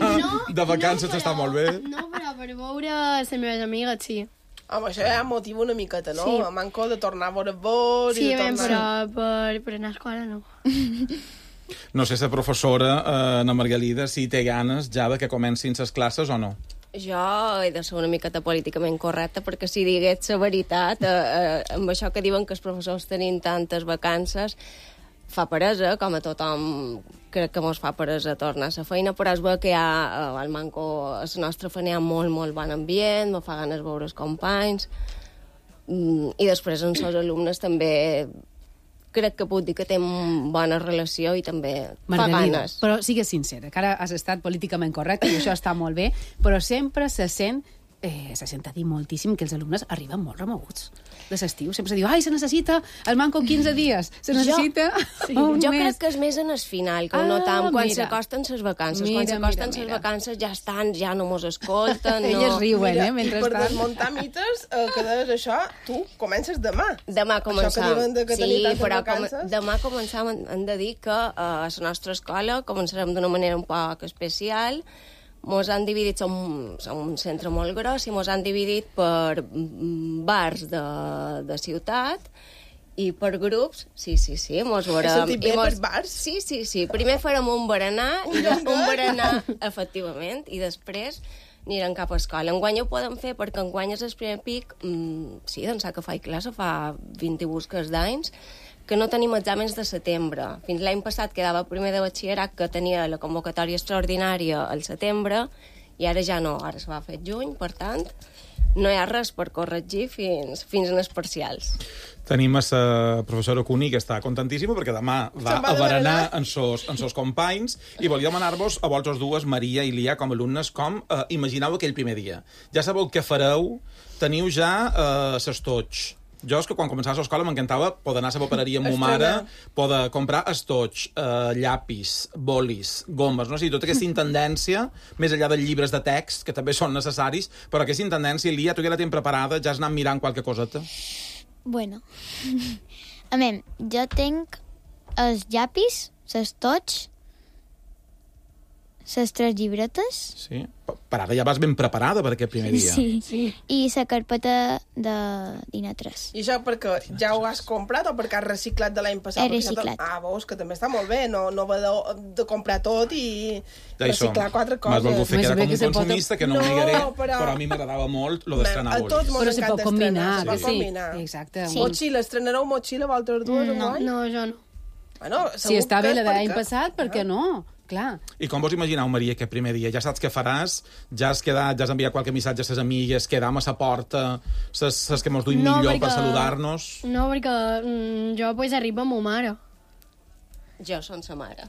de vacances està molt bé. No, però per veure les meves amigues, sí. Home, això ja motiva una miqueta, no? Sí. Manco de tornar a veure vos sí, i de tornar... per anar a escola no. No sé si la professora, Anna Margalida, si té ganes ja de que comencin les classes o no. Jo he de ser una miqueta políticament correcta, perquè si digués la veritat, amb això que diuen que els professors tenim tantes vacances, fa peresa, com a tothom crec que mos fa peresa tornar a la feina, però es veu que hi ha al Manco, a la nostra feina hi ha molt, molt bon ambient, me fa ganes veure els companys, i després amb els alumnes també crec que puc dir que tenen bona relació i també fa ganes. Però sigues sincera, que ara has estat políticament correcte i això està molt bé, però sempre se sent a dir moltíssim que els alumnes arriben molt remoguts de l'estiu. Sempre se diu, ai, se necessita el Manco 15 dies, se necessita un jo mes. crec que és més en el final, que ho notam quan s'acosten les vacances. Quan s'acosten les vacances ja estan, ja no mos escolten. Elles riuen, mentrestant. I per desmuntar mites, que deies això, tu comences demà. Demà començam. Això que diuen que tenir tantes vacances. Demà començam, hem de dir que a la nostra escola començarem d'una manera un poc especial. Mos han dividit, som un centre molt gros, i mos han dividit per bars de ciutat i per grups. Sí, mos veurem. Has sentit bé per bars? Sí. Primer farem un berenar, efectivament, i després anirem cap a escola. Enguany ho podem fer perquè enguany és el primer pic, sí, d'ençà que faig classe, fa 20 i busques d'anys, que no tenim exàmens de setembre. Fins l'any passat quedava primer de batxillerat, que tenia la convocatòria extraordinària al setembre, i ara ja no, ara es va fer juny, per tant, no hi ha res per corregir fins en els parcials. Tenim a la professora Cuní, que està contentíssima, perquè demà va a berenar amb sos companys, i volia demanar-vos a vosaltres dues, Maria i Lia, com a alumnes, com imagineu aquell primer dia. Ja sabeu què fareu, teniu ja s'estoig. Jo és que quan començava l'escola m'encantava poder anar a la papereria amb ma mare, poder comprar estoig, llapis, bolis, gomes, no sé, tota aquesta intendència, més enllà dels llibres de text, que també són necessaris, però aquesta intendència, Lia, tu ja la tens preparada, ja has anat mirant qualque coseta? Bueno, a mi, jo tinc els llapis, l'estoig, les 3 llibretes. Sí, per ara ja vas ben preparada per aquest primer dia. Sí. I la carpeta de dinar 3. I això perquè ja ho has comprat o perquè has reciclat de l'any passat? He reciclat. Veus, que també està molt bé, no va de comprar tot i reciclar 4 coses. M'has volgut fer quedar com un consumista, que no ho negaré, però a mi m'agradava molt lo d'estrenar bolis. A tots mos encanta estrenar. Que sí, exacte. Motxilla, estrenareu motxilla vosaltres dues? No, jo no. Bueno, si està bé la de l'any passat, per què no? Clar. I com vos imagineu, Maria, aquest primer dia? Ja saps què faràs? Ja has enviat qualque missatge a ses amigues? Quedam a la porta? Ses que mos duim millor per saludar-nos? No, perquè jo pues arribo amb ma mare. Jo som sa mare.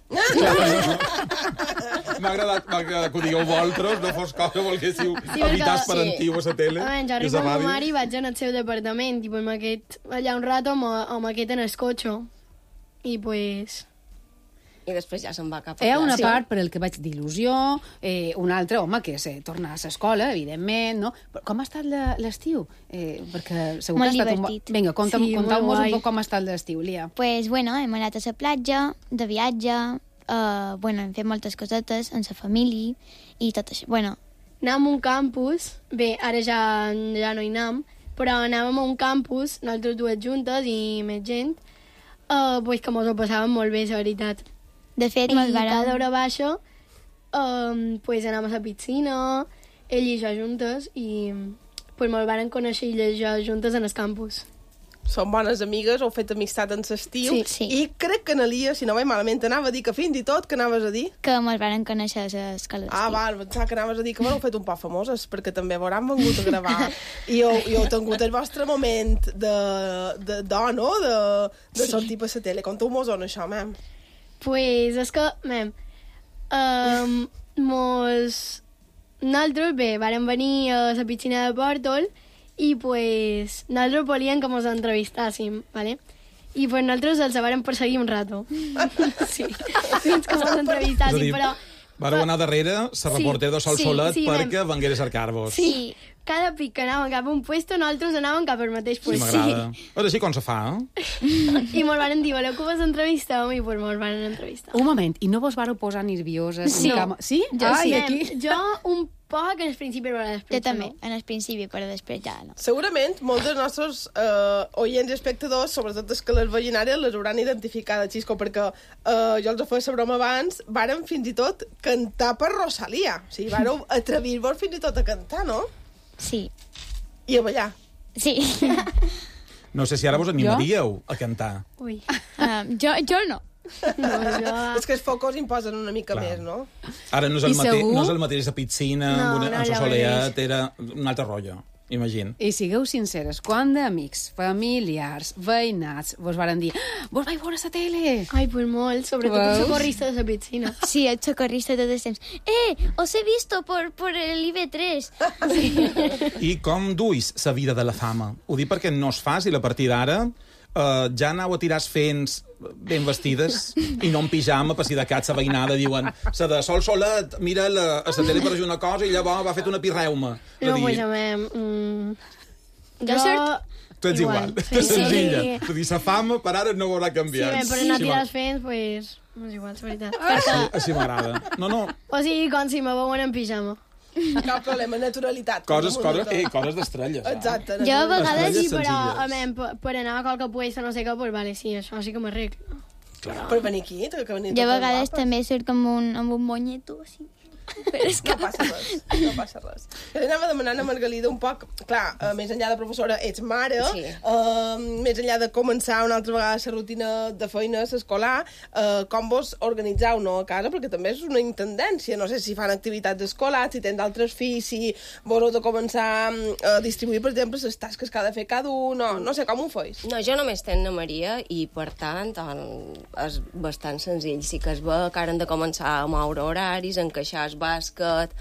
M'ha agradat que ho digueu vosaltres, no fos cosa, volguéssiu evitar parentiu a la tele. Jo arribo amb ma mare i vaig al seu departament, i amb aquest allà un rato amb aquest en el cotxe. I pues... I després ja se'n va cap a classe. Hi ha una part per el que vaig d'il·lusió, una altra, home, que és tornar a l'escola, evidentment, no? Però com ha estat l'estiu? Perquè segur que ha estat divertit. Vinga, contau-nos un poc com ha estat l'estiu, Lia. Pues, bueno, hem anat a la platja, de viatge, hem fet moltes cosetes amb la família i tot això. Bueno, anàvem a un campus, bé, ara ja no hi anem, però anàvem a un campus, nosaltres dues juntes i més gent, que mos ho passàvem molt bé, la veritat. De fet, cada hora baixa anàvem a la piscina, ell i jo juntes, i molt varen conèixer ell i jo juntes en el campus. Són bones amigues, heu fet amistat en l'estiu, Sí. i crec que Analia, si no vaig malament, anava a dir que fins i tot, que anaves a dir? Que me'ls varen conèixer a l'escola d'estiu. Val, pensava que anaves a dir que m'heu fet un poc famoses, perquè també veuran vengut a gravar. I heu tingut el vostre moment de no? De sortir per la tele. Conteu-mos on això, mem. Pues és que, nosaltres, vàrem venir a la piscina de Pòrtol i pues nosaltres volíem que mos entrevistàssim, ¿vale? I pues nosaltres els vàrem perseguir un rato. Sí, fins que mos entrevistàssim, però... Vareu anar darrere la reportera de Sol Solet perquè vengués a cercar-vos. Sí, cada pic que anàvem cap a un puesto, nosaltres anàvem cap al mateix Sí, puesto. m'agrada. Ara sí, com se fa, I mos van dir, voleu que vos entrevisteu? I pues mos van entrevistar. Un moment, i no vos vareu posar nervioses? Sí. Sí? Jo un poc en el principi, però després Jo també, en el principi, però després ja no. Segurament, molts dels nostres oients i espectadors, sobretot els que les veien ara, les hauran identificat a Xisco, perquè jo els ho feia la broma abans, vàrem fins i tot cantar per Rosalía. O sigui, vàreu atrevir-vos fins i tot a cantar, no? Sí. I a ballar. Sí. No sé si ara vos animaríeu a cantar. Ui. Jo no. És que els focos imposen una mica més, no? Ara no és el mateix de piscina, amb un soleat, era un altre rotllo, imagina. I sigueu sinceres, quan d'amics, familiars, veïnats, vos varen dir vos vaig veure a la tele? Ai, pues molt, sobretot el socorrista de la piscina. Sí, el socorrista tot el temps. Os he visto por el IB3. I com duis la vida de la fama? Ho dic perquè no és fàcil a partir d'ara. Ja anau a tirar fents ben vestides i no en pijama, per si de cat la veïnada diuen la de Sol Solet mira a la tele per una cosa i llavors va fet una pirreuma. No, pues a mi... Tu ets igual, senzilla. És a dir, la fama per ara no haurà canviat. Sí, per anar a tirar fents, pues... No és igual, és veritat. Així m'agrada. No. O sigui, com si me veuen en pijama. Cap problema, naturalitat. Coses d'estrelles. Exacte. Jo a vegades sí, però per anar a qualque puesto, no sé què, pues vale, sí, això sí que m'arreglo. Per venir aquí, que venir jo a vegades també surt amb un monyeto, així. Però és que no passa res. Jo li anava demanant a Margalida un poc, clar, més enllà de professora, ets mare, més enllà de començar una altra vegada la rutina de feina escolar, com vos organitzeu, no, a casa, perquè també és una intendència, no sé si fan activitats escolars, si tens d'altres fills, si vos heu de començar a distribuir, per exemple, les tasques que ha de fer cada un, no sé, com ho feis? No, jo només tenc na Maria i, per tant, és bastant senzill. Sí que es ve que ara hem de començar a moure horaris, encaixar bàsquet,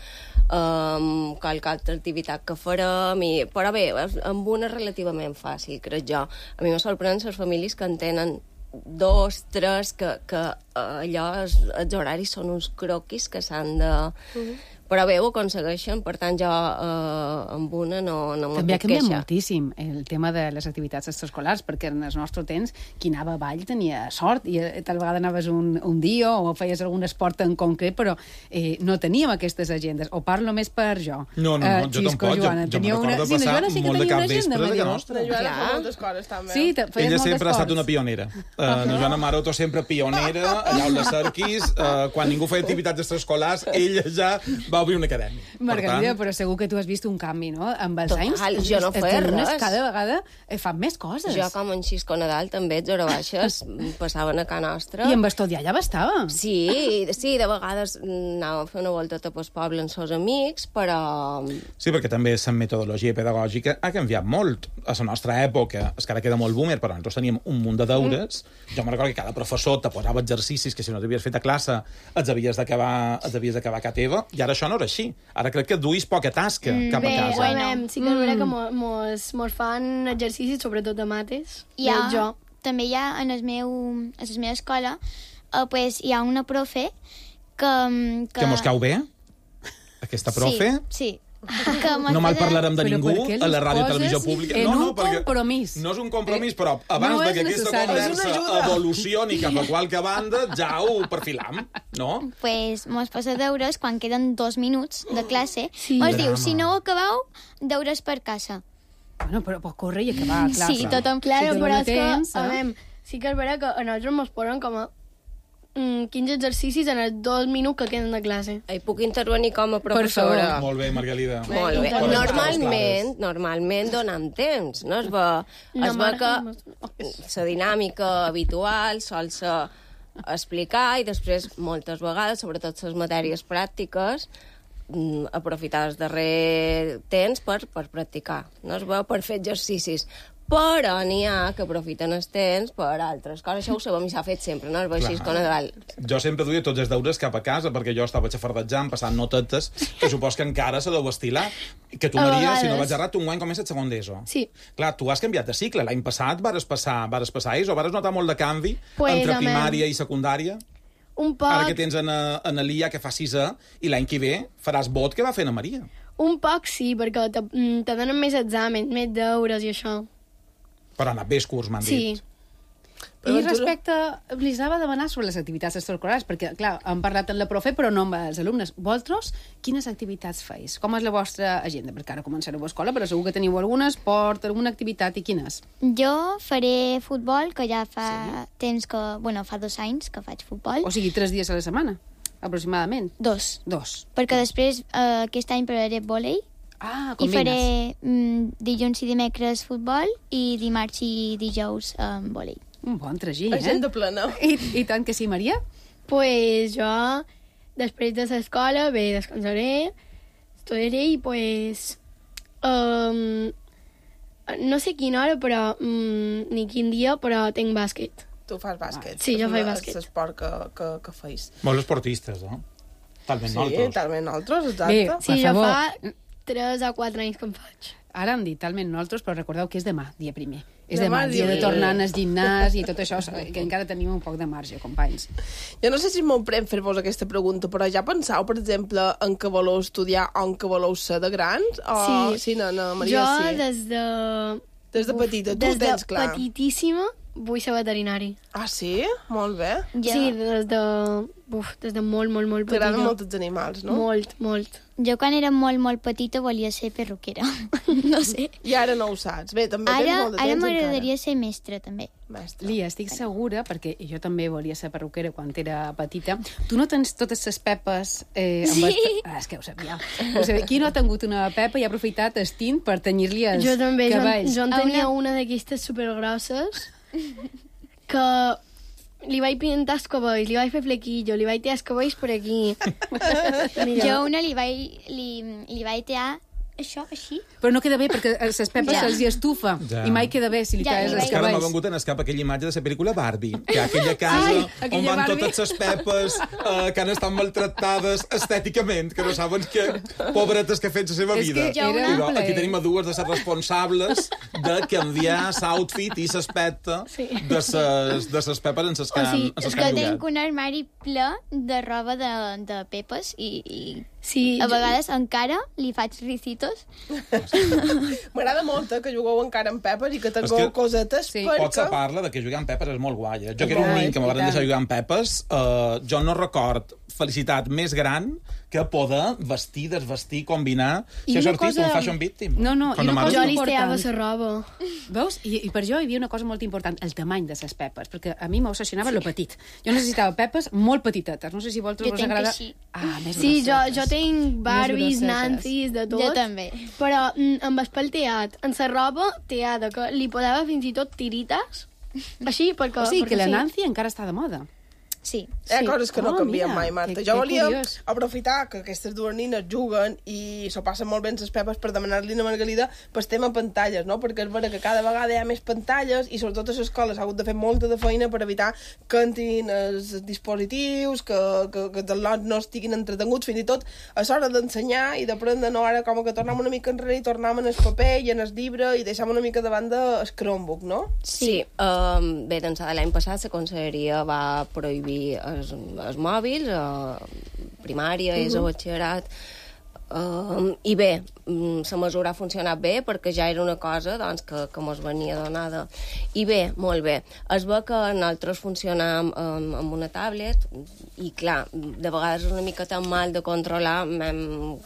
qualque altra activitat que farem, però bé, amb una relativament fàcil, crec jo. A mi me sorprèn les famílies que en tenen 2, 3, que allò, els horaris són uns croquis que s'han de... Però bé, ho aconsegueixen, per tant, jo amb una no me també puc queixar. També ha canviat moltíssim el tema de les activitats extraescolars, perquè en el nostre temps, qui anava a ball tenia sort, i tal vegada anaves un dia o feies algun esport en concret, però no teníem aquestes agendes. O parlo més per jo. No, jo tampoc. Joana, jo me'n recordo passar molt de cap vespre de que nostra. La Joana fa moltes coses, també. Sí, ella sempre ha estat una pionera. La Joana Maroto sempre pionera, allà on la cerquis, quan ningú feia activitats extraescolars, ella ja va obrir una acadèmia. Margalida, però segur que tu has vist un canvi, no? Amb els anys, jo no feia res. Cada vegada fan més coses. Jo, com en Xisco Nadal, també, ets hora baixes, passaven a casa nostra. I amb estudiar ja bastava. Sí, de vegades anàvem a fer una volteta pel poble amb els amics, però... Sí, perquè també la metodologia pedagògica ha canviat molt. A la nostra època, és que ara queda molt boomer, però nosaltres teníem un munt de deures. Jo me'n recordo que cada professor te posava exercicis que si no t'havies fet a classe els havies d'acabar a casa teva, i ara això no era així. Ara crec que duis poca tasca cap a casa. Bé, sí que és veritat que mos fan exercicis, sobretot de mates. També hi ha, a la meva escola, pues, hi ha una profe que mos cau bé? Aquesta profe? Sí. No mal parlarem de ningú a la ràdio i televisió pública. En un compromís. No és un compromís, però abans que aquesta conversa evolucioni cap a qualque banda, ja ho perfilam, no? Pues mos posa deures quan queden 2 minuts de classe. Mos diu, si no ho acabeu, deures per casa. Bueno, però pot córrer i acabar, clar. Sí, tothom. Claro, però és que, sí que és vera que a nosaltres mos posen com a 15 exercicis en els 2 minuts que queden de classe. Puc intervenir com a professora? Molt bé, Margalida. Molt bé. Normalment donem temps, no? Es ve que la dinàmica habitual sol ser explicar i després moltes vegades, sobretot les matèries pràctiques, aprofitar el darrer temps per practicar, no? Es veu per fer exercicis. Però n'hi ha que aprofiten els temps per altres coses. Això ho sabem i s'ha fet sempre, no? Així com a dalt. Jo sempre duia tots els deures cap a casa perquè jo estava xafardejant, passant notetes, que supos que encara se deu estilar. Que tu, Maria, si no vaig errat, tu enguany comences segon d'ESO. Sí. Clar, tu has canviat de cicle. L'any passat vares passar ESO, vares notar molt de canvi entre primària i secundària? Un poc. Ara que tens en l'IA que fa 6è i l'any que ve faràs vot que va fent a Maria. Un poc sí, perquè te donen més exàmens, més deures i això. Però ha anat bé el curs, m'han dit. I respecte, li anava a demanar sobre les activitats extraescolars, perquè, clar, hem parlat amb la profe, però no amb els alumnes. Vosaltres, quines activitats feis? Com és la vostra agenda? Perquè ara començareu a escola, però segur que teniu alguna esport, alguna activitat, i quines? Jo faré futbol, que ja fa temps que... Bueno, fa 2 anys que faig futbol. O sigui, 3 dies a la setmana, aproximadament? 2. 2. Perquè després, aquest any provaré vòlei. Ah, i combines. faré dilluns i dimecres futbol i dimarts i dijous vòlei. Un bon tragí, Agenda plena. I tant que sí, Maria? Pues jo, després de l'escola, descansaré, estudiaré i pues... no sé quina hora, però ni quin dia, però tinc bàsquet. Tu fas bàsquet. Sí, jo faig bàsquet. És l'esport que feis. Molts esportistes, no? Talment nosaltres. Sí, talment nosaltres, exacte. Sí, jo fa 3 o 4 anys que em faig. Ara hem dit talment nosaltres, però recordeu que és demà, dia primer. És demà, dia de tornar al gimnàs i tot això, que encara tenim un poc de marge, companys. Jo no sé si m'emprem fer-vos aquesta pregunta, però ja penseu, per exemple, en què voleu estudiar o en què voleu ser de grans? O... Sí, no, Maria, jo sí. Des de petita, tu ho tens clar. Des de petitíssima vull ser veterinari. Ah, sí? Molt bé. Sí, des de molt petita. T'agraden molt els animals, no? Molt. Jo quan era molt petita volia ser perruquera. No sé. I ara no ho saps. Bé, també tens molt de temps Ara m'agradaria ser mestra, també. Lia, estic segura, perquè jo també volia ser perruquera quan era petita. Tu no tens totes les pepes... Sí. És que ho sabia. Qui no ha tingut una pepa i ha aprofitat el tint per tenyir-li els cabells? Jo també. Jo en tenia una d'aquestes supergrosses que li vaig pintar els cabells, li vaig fer flequillo, li vaig tirar els cabells per aquí. Jo una li vaig tirar això, així. Però no queda bé, perquè les pepes se'ls hi estufa. I mai queda bé si li talles els cabells. Ara m'ha cabells. vengut en escap aquella imatge de la pel·lícula Barbie, que aquella casa on van totes les pepes que han estat maltractades estèticament, que no saben que pobretes que ha fet la seva vida. Però aquí tenim a dues de les responsables de canviar l'outfit i l'aspecte de les pepes en les que han és que tinc un armari ple de roba de pepes i a vegades encara li faig ricitos. M'agrada molt que jugueu encara amb pepes i que tingueu cosetes perquè... Potser parla de que jugar amb pepes és molt guai. Jo que era un nen que me van deixar jugar amb pepes, jo no record felicitat més gran que poder vestir, desvestir, combinar. Si has sortit un fashion victim. No, i una cosa jo li teava la roba. Veus? I per jo hi havia una cosa molt important, el tamany de les pepes, perquè a mi m'obsessionava lo petit. Jo necessitava pepes molt petitetes. No sé si vosaltres us agrada... Més sí, jo tinc Barbies, Nancy's, de tot. Jo també. Però amb el pel teat, en la roba teada, que li posava fins i tot tirites, així, perquè... O sigui, que la Nancy encara està de moda. Sí. Hi ha coses que no canvien mai, Marta. Jo volia curiós. aprofitar que aquestes dues nines juguen i s'ho passen molt bé les pepes per demanar-li a Margalida pel tema pantalles, no? Perquè és vera que cada vegada hi ha més pantalles i sobretot a l'escola s'ha hagut de fer molta de feina per evitar que entrin els dispositius, que els lots no estiguin entretenguts, fins i tot a l'hora d'ensenyar i d'aprendre, no? Ara com que tornem una mica enrere i tornem en el paper i en el llibre i deixem una mica de banda el Chromebook, no? Sí. Bé, doncs l'any passat la conselleria va prohibir els mòbils, primària, ESO, batxillerat, I bé, la mesura ha funcionat bé perquè ja era una cosa doncs, que mos venia donada. I bé, molt bé. Es ve que nosaltres funcionam amb una tablet i, clar, de vegades és una miqueta mal de controlar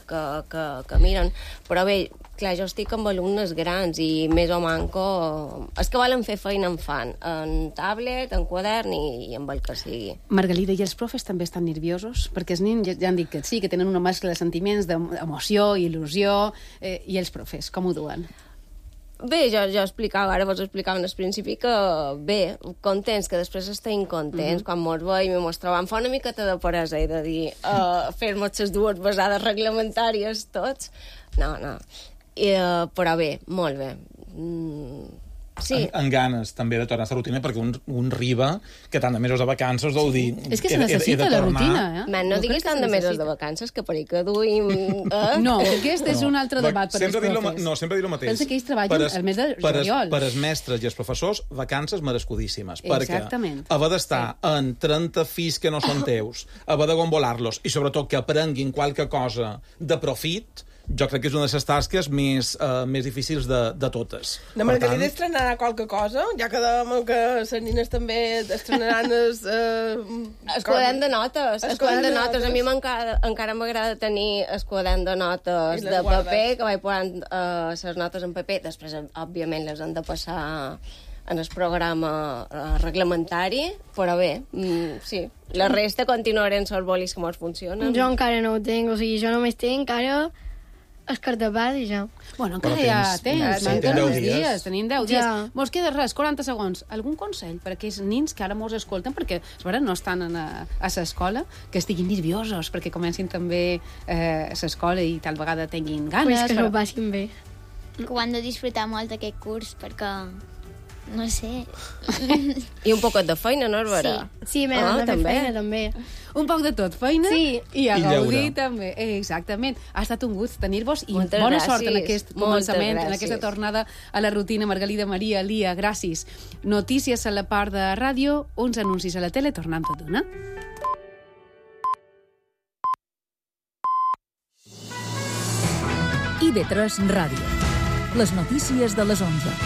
que miren. Però bé, clar, jo estic amb alumnes grans i més o manco... Els que volen fer feina en fan, en tablet, en quadern i amb el que sigui. Margalida, i els profes també estan nerviosos? Perquè els nens ja han dit que sí, que tenen una mescla de sentiments, d'emoció, il·lusió, i els profes, com ho duen? Bé, jo explicava, ara vos explicava al principi que bé, contents, que després estem contents, quan mos veiem i mos trobam, fa una miqueta de peresa, he de dir, fer-nos les dues besades reglamentàries tots. No. Però bé, molt bé. Sí. En ganes també de tornar a la rutina, perquè un riba que tant de mesos de vacances deu dir... És que se necessita la rutina, eh? Man, no diguis tant de mesos de vacances, que per ahir que duim... No, aquest és un altre debat per als profes. No, sempre dir el mateix. Pensa que ells treballen el mes de juliol. Per als mestres i els professors, vacances merescudíssimes. Exactament. Perquè haver d'estar en 30 fills que no són teus, haver de gombolar-los, i sobretot que aprenguin qualque cosa de profit, jo crec que és una de les tasques més difícils de totes. La Margalida estrenarà qualque cosa? Ja quedem que les nines també estrenaran el quadern de notes. El quadern de notes. A mi encara m'agrada tenir el quadern de notes de paper, que vaig posant les notes en paper. Després, òbviament, les han de passar en el programa reglamentari, però bé, sí. La resta continuarem els bolis que mos funcionen. Jo encara no ho tinc, o sigui, jo només tinc ara el cartapàs i ja. Bueno, encara hi ha temps, manquen uns dies, tenim 10 dies. Mos queda res, 40 segons. Algun consell per a aquells nins que ara mos escolten, perquè no estan a l'escola, que estiguin nerviosos, perquè comencin també l'escola i tal vegada tinguin ganes. Pues que ho passin bé. Que ho han de disfrutar molt aquest curs, perquè... No sé. I un poquet de feina, no, Barbara? Sí, de fer feina, també. Un poc de tot, feina i a gaudir, també. Exactament. Ha estat un gust tenir-vos i bona sort en aquest començament, en aquesta tornada a la rutina. Margalida, Maria, Lia, gràcies. Notícies a la part de ràdio, uns anuncis a la tele, tornant tot d'una. IB3 Ràdio. Les notícies de les 11.